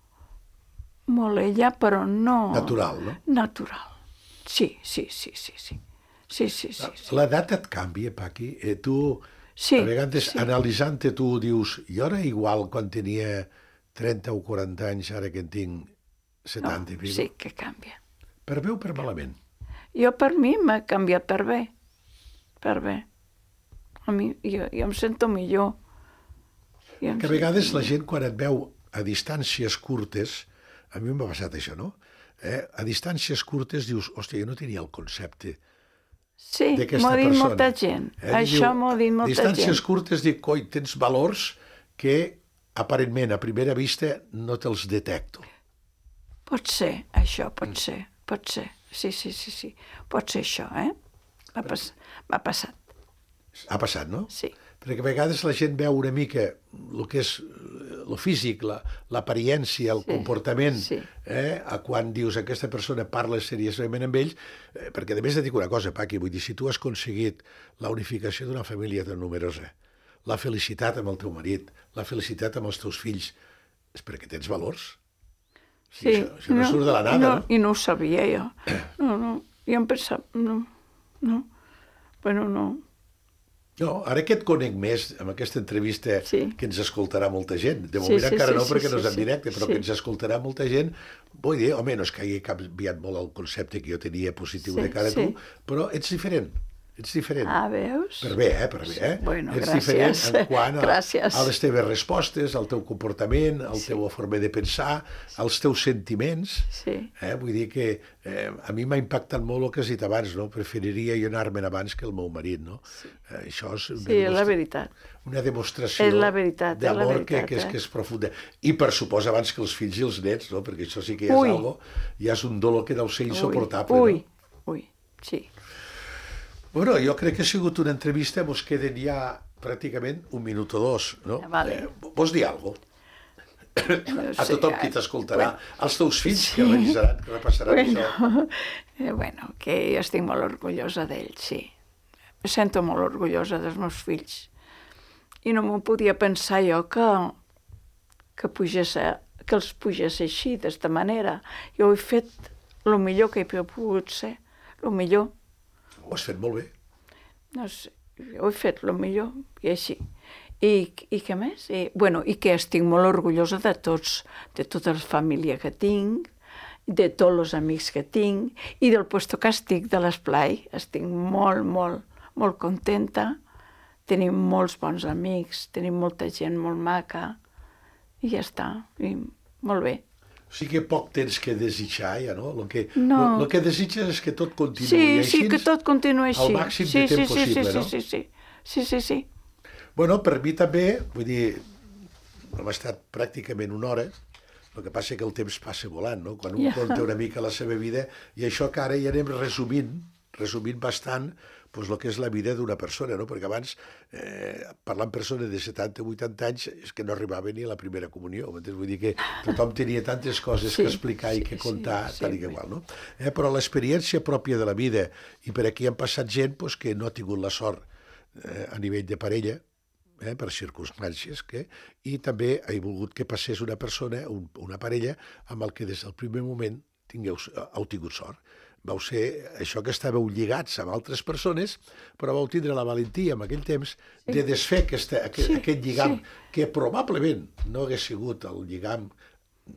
Speaker 4: molt ella, però no...
Speaker 2: Natural, no?
Speaker 4: Natural. Sí, sí, sí, sí, sí. Sí, sí, sí, sí.
Speaker 2: L'edat et canvia, Paqui? Eh, tu,
Speaker 4: sí,
Speaker 2: a vegades,
Speaker 4: sí.
Speaker 2: analitzant-te, tu dius, jo era igual quan tenia trenta o quaranta anys, ara que en tinc setanta i pico.
Speaker 4: Sí que canvia.
Speaker 2: Per bé o per malament?
Speaker 4: Jo, per mi, m'ha canviat per bé. Per bé. A mi, jo, jo em sento millor. Jo em
Speaker 2: Que a vegades la gent, quan et veu a distàncies curtes, a mi m'ha passat això, no? Eh? A distàncies curtes dius, hòstia, jo no tenia el concepte
Speaker 4: Sí,
Speaker 2: d'aquesta
Speaker 4: m'ho ha dit
Speaker 2: persona.
Speaker 4: molta gent.
Speaker 2: Eh?
Speaker 4: Això
Speaker 2: Diu,
Speaker 4: m'ho ha dit molta
Speaker 2: distàncies
Speaker 4: gent.
Speaker 2: curtes dic, coi, tens valors que aparentment, a primera vista, no te'ls detecto.
Speaker 4: Pot ser, això, pot ser, pot ser. Sí, sí, sí, sí. Pot ser això, eh? M'ha pas... passat,
Speaker 2: Ha passat, no?
Speaker 4: sí.
Speaker 2: Perquè a vegades la gent veu una mica el que és el físic, la- l'apariència, el
Speaker 4: Sí,
Speaker 2: comportament,
Speaker 4: sí.
Speaker 2: eh? a quan dius aquesta persona parla seriosament amb ells, eh? perquè a més et dic una cosa, Paqui, vull dir, si tu has aconseguit la unificació d'una família tan numerosa, la felicitat amb el teu marit, la felicitat amb els teus fills, és perquè tens valors.
Speaker 4: Sí,
Speaker 2: Això, això no, surt de la nada,
Speaker 4: no,
Speaker 2: no?
Speaker 4: I no ho sabia jo. No, no, jo em pensava, no, no, bueno, no.
Speaker 2: No, ara que et conec més amb aquesta entrevista
Speaker 4: Sí.
Speaker 2: que ens escoltarà molta gent, de
Speaker 4: Sí,
Speaker 2: moment
Speaker 4: sí,
Speaker 2: encara
Speaker 4: sí,
Speaker 2: no
Speaker 4: sí,
Speaker 2: perquè no
Speaker 4: sí,
Speaker 2: és en
Speaker 4: sí.
Speaker 2: directe, però
Speaker 4: Sí.
Speaker 2: que ens escoltarà molta gent, vull dir, home, no és que hagi canviat molt el concepte que jo tenia positiu
Speaker 4: Sí,
Speaker 2: de cara a
Speaker 4: sí.
Speaker 2: tu, però ets diferent, ets diferent.
Speaker 4: Ah, veus?
Speaker 2: Per bé, eh, per bé, eh?
Speaker 4: Bueno,
Speaker 2: ets
Speaker 4: gràcies.
Speaker 2: diferent en quant a,
Speaker 4: Gràcies.
Speaker 2: a les teves respostes, al teu comportament, a la teva forma de pensar, als teus sentiments.
Speaker 4: Sí.
Speaker 2: Eh? Vull dir que eh, a mi m'ha impactat molt el que has dit abans, no? Preferiria jo anar-me'n abans que el meu marit, no? Eh, això és una,
Speaker 4: Sí, és la
Speaker 2: demostra-
Speaker 4: veritat.
Speaker 2: una demostració
Speaker 4: És la veritat, és la
Speaker 2: d'amor que,
Speaker 4: veritat,
Speaker 2: que, és,
Speaker 4: eh?
Speaker 2: que és profunda. I per suposa abans que els fills i els nets, no? Perquè això sí que ja és
Speaker 4: Ui.
Speaker 2: algo, ja és un dolor que deu ser insoportable.
Speaker 4: Ui,
Speaker 2: No?
Speaker 4: ui, sí.
Speaker 2: Bueno, jo crec que ha sigut una entrevista, mos queden ja pràcticament un minut o dos, no?
Speaker 4: Vale.
Speaker 2: Eh, vols dir alguna cosa? A
Speaker 4: Sí,
Speaker 2: tothom qui
Speaker 4: eh,
Speaker 2: t'escoltarà,
Speaker 4: bueno.
Speaker 2: als teus fills que revisaran, que repassaran això.
Speaker 4: Bueno, eh, bueno, que jo estic molt orgullosa d'ells, sí. Me sento molt orgullosa dels meus fills. I no m'ho podia pensar jo que, que, pugés, a- que els pugés així, d'esta manera. Jo he fet el millor que he pogut ser, el millor.
Speaker 2: Ho has fet molt bé.
Speaker 4: No sé, jo he fet el millor, i així. I, i què més? I, bueno, i que estic molt orgullosa de tots, de tota la família que tinc, de tots els amics que tinc, i del puesto que estic de l'esplai. Estic molt, molt, molt contenta. Tenim molts bons amics, tenim molta gent molt maca, i ja està, i molt bé.
Speaker 2: O sigui que poc tens que desitjar, ja, no? El que,
Speaker 4: No.
Speaker 2: lo, lo que desitges és que tot continuï
Speaker 4: Sí,
Speaker 2: així,
Speaker 4: sí, que tot continua així.
Speaker 2: al màxim
Speaker 4: sí,
Speaker 2: de temps
Speaker 4: sí,
Speaker 2: possible,
Speaker 4: sí, sí,
Speaker 2: no?
Speaker 4: sí, sí, sí, sí, sí.
Speaker 2: Bueno, per mi també, vull dir, hem estat pràcticament una hora, el que passa que el temps passa volant, no? Quan un
Speaker 4: Ja.
Speaker 2: conta una mica la seva vida, i això que ara ja anem resumint, resumint bastant, doncs el que és la vida d'una persona, no? Perquè abans, eh, parlant persones de setanta o vuitanta anys, és que no arribava ni a la primera comunió, m'entens? Vull dir que tothom tenia tantes coses
Speaker 4: Sí,
Speaker 2: que explicar i
Speaker 4: sí,
Speaker 2: que
Speaker 4: sí,
Speaker 2: contar,
Speaker 4: sí,
Speaker 2: tal i que
Speaker 4: sí.
Speaker 2: igual, no? Eh, però l'experiència pròpia de la vida, i per aquí han passat gent doncs, que no ha tingut la sort eh, a nivell de parella, eh, per circumstàncies, que, i també he volgut que passés una persona, un, una parella, amb el que des del primer moment tingueu, heu tingut sort. Vau ser això que estàveu lligats amb altres persones, però vau tindre la valentia en aquell temps de desfer aquesta, aquest,
Speaker 4: Sí,
Speaker 2: aquest lligam,
Speaker 4: sí.
Speaker 2: que probablement no hagués sigut el lligam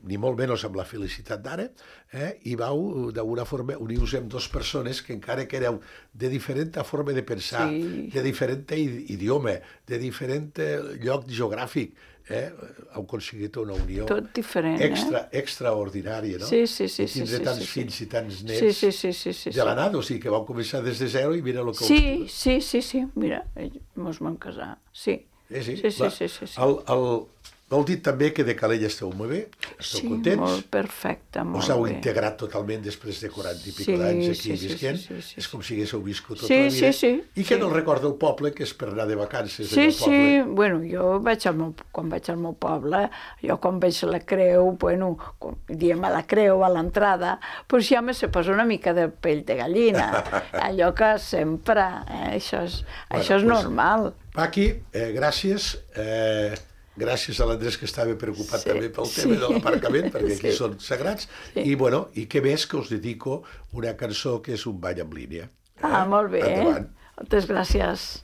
Speaker 2: ni molt menys amb la felicitat d'ara, eh? I vau, d'alguna forma, unir-vos amb dues persones que encara que éreu de diferent forma de pensar,
Speaker 4: Sí.
Speaker 2: de diferent idioma, de diferent lloc geogràfic, eh? Heu aconseguit una unió
Speaker 4: Tot diferent,
Speaker 2: extra, extraordinària, no?
Speaker 4: Sí, sí, sí,
Speaker 2: I
Speaker 4: sí,
Speaker 2: tindre
Speaker 4: sí,
Speaker 2: tants
Speaker 4: sí, sí.
Speaker 2: fills i tants nets
Speaker 4: Sí, sí, sí, sí, sí.
Speaker 2: de la nada, o sigui que vau començar des de zero i mira el que
Speaker 4: Sí, sí, sí, sí, mira, ens vam casar, sí.
Speaker 2: Eh, sí,
Speaker 4: Sí, sí,
Speaker 2: la-
Speaker 4: sí, sí, sí.
Speaker 2: El, el, vol dir també que de Calella esteu molt bé, esteu
Speaker 4: Sí,
Speaker 2: contents,
Speaker 4: molt perfecte, molt
Speaker 2: us heu
Speaker 4: bé.
Speaker 2: integrat totalment després de quaranta i pico
Speaker 4: Sí,
Speaker 2: d'anys aquí
Speaker 4: sí, sí,
Speaker 2: visquent,
Speaker 4: sí, sí, sí,
Speaker 2: és
Speaker 4: sí.
Speaker 2: com si haguéssiu viscut tota
Speaker 4: Sí,
Speaker 2: la vida,
Speaker 4: sí, sí,
Speaker 2: i que
Speaker 4: sí.
Speaker 2: no el recorda el poble, que és per anar de vacances
Speaker 4: Sí,
Speaker 2: al
Speaker 4: sí,
Speaker 2: poble.
Speaker 4: bueno, jo vaig al meu, quan vaig al meu poble, jo quan veig la creu, bueno, quan diem a la creu, a l'entrada, doncs ja me se posa una mica de pell de gallina, allò que sempre, eh, això és,
Speaker 2: Bueno,
Speaker 4: això és
Speaker 2: pues,
Speaker 4: normal.
Speaker 2: Paqui, eh, gràcies, eh, gràcies a l'Andrés que estava preocupat
Speaker 4: Sí,
Speaker 2: també pel
Speaker 4: sí.
Speaker 2: tema de l'aparcament, perquè aquí
Speaker 4: Sí.
Speaker 2: són sagrats,
Speaker 4: Sí.
Speaker 2: i bueno, i què més que us dedico una cançó que és un ball en línia.
Speaker 4: Ah, molt bé,
Speaker 2: Endavant.
Speaker 4: moltes gràcies.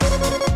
Speaker 5: Thank you.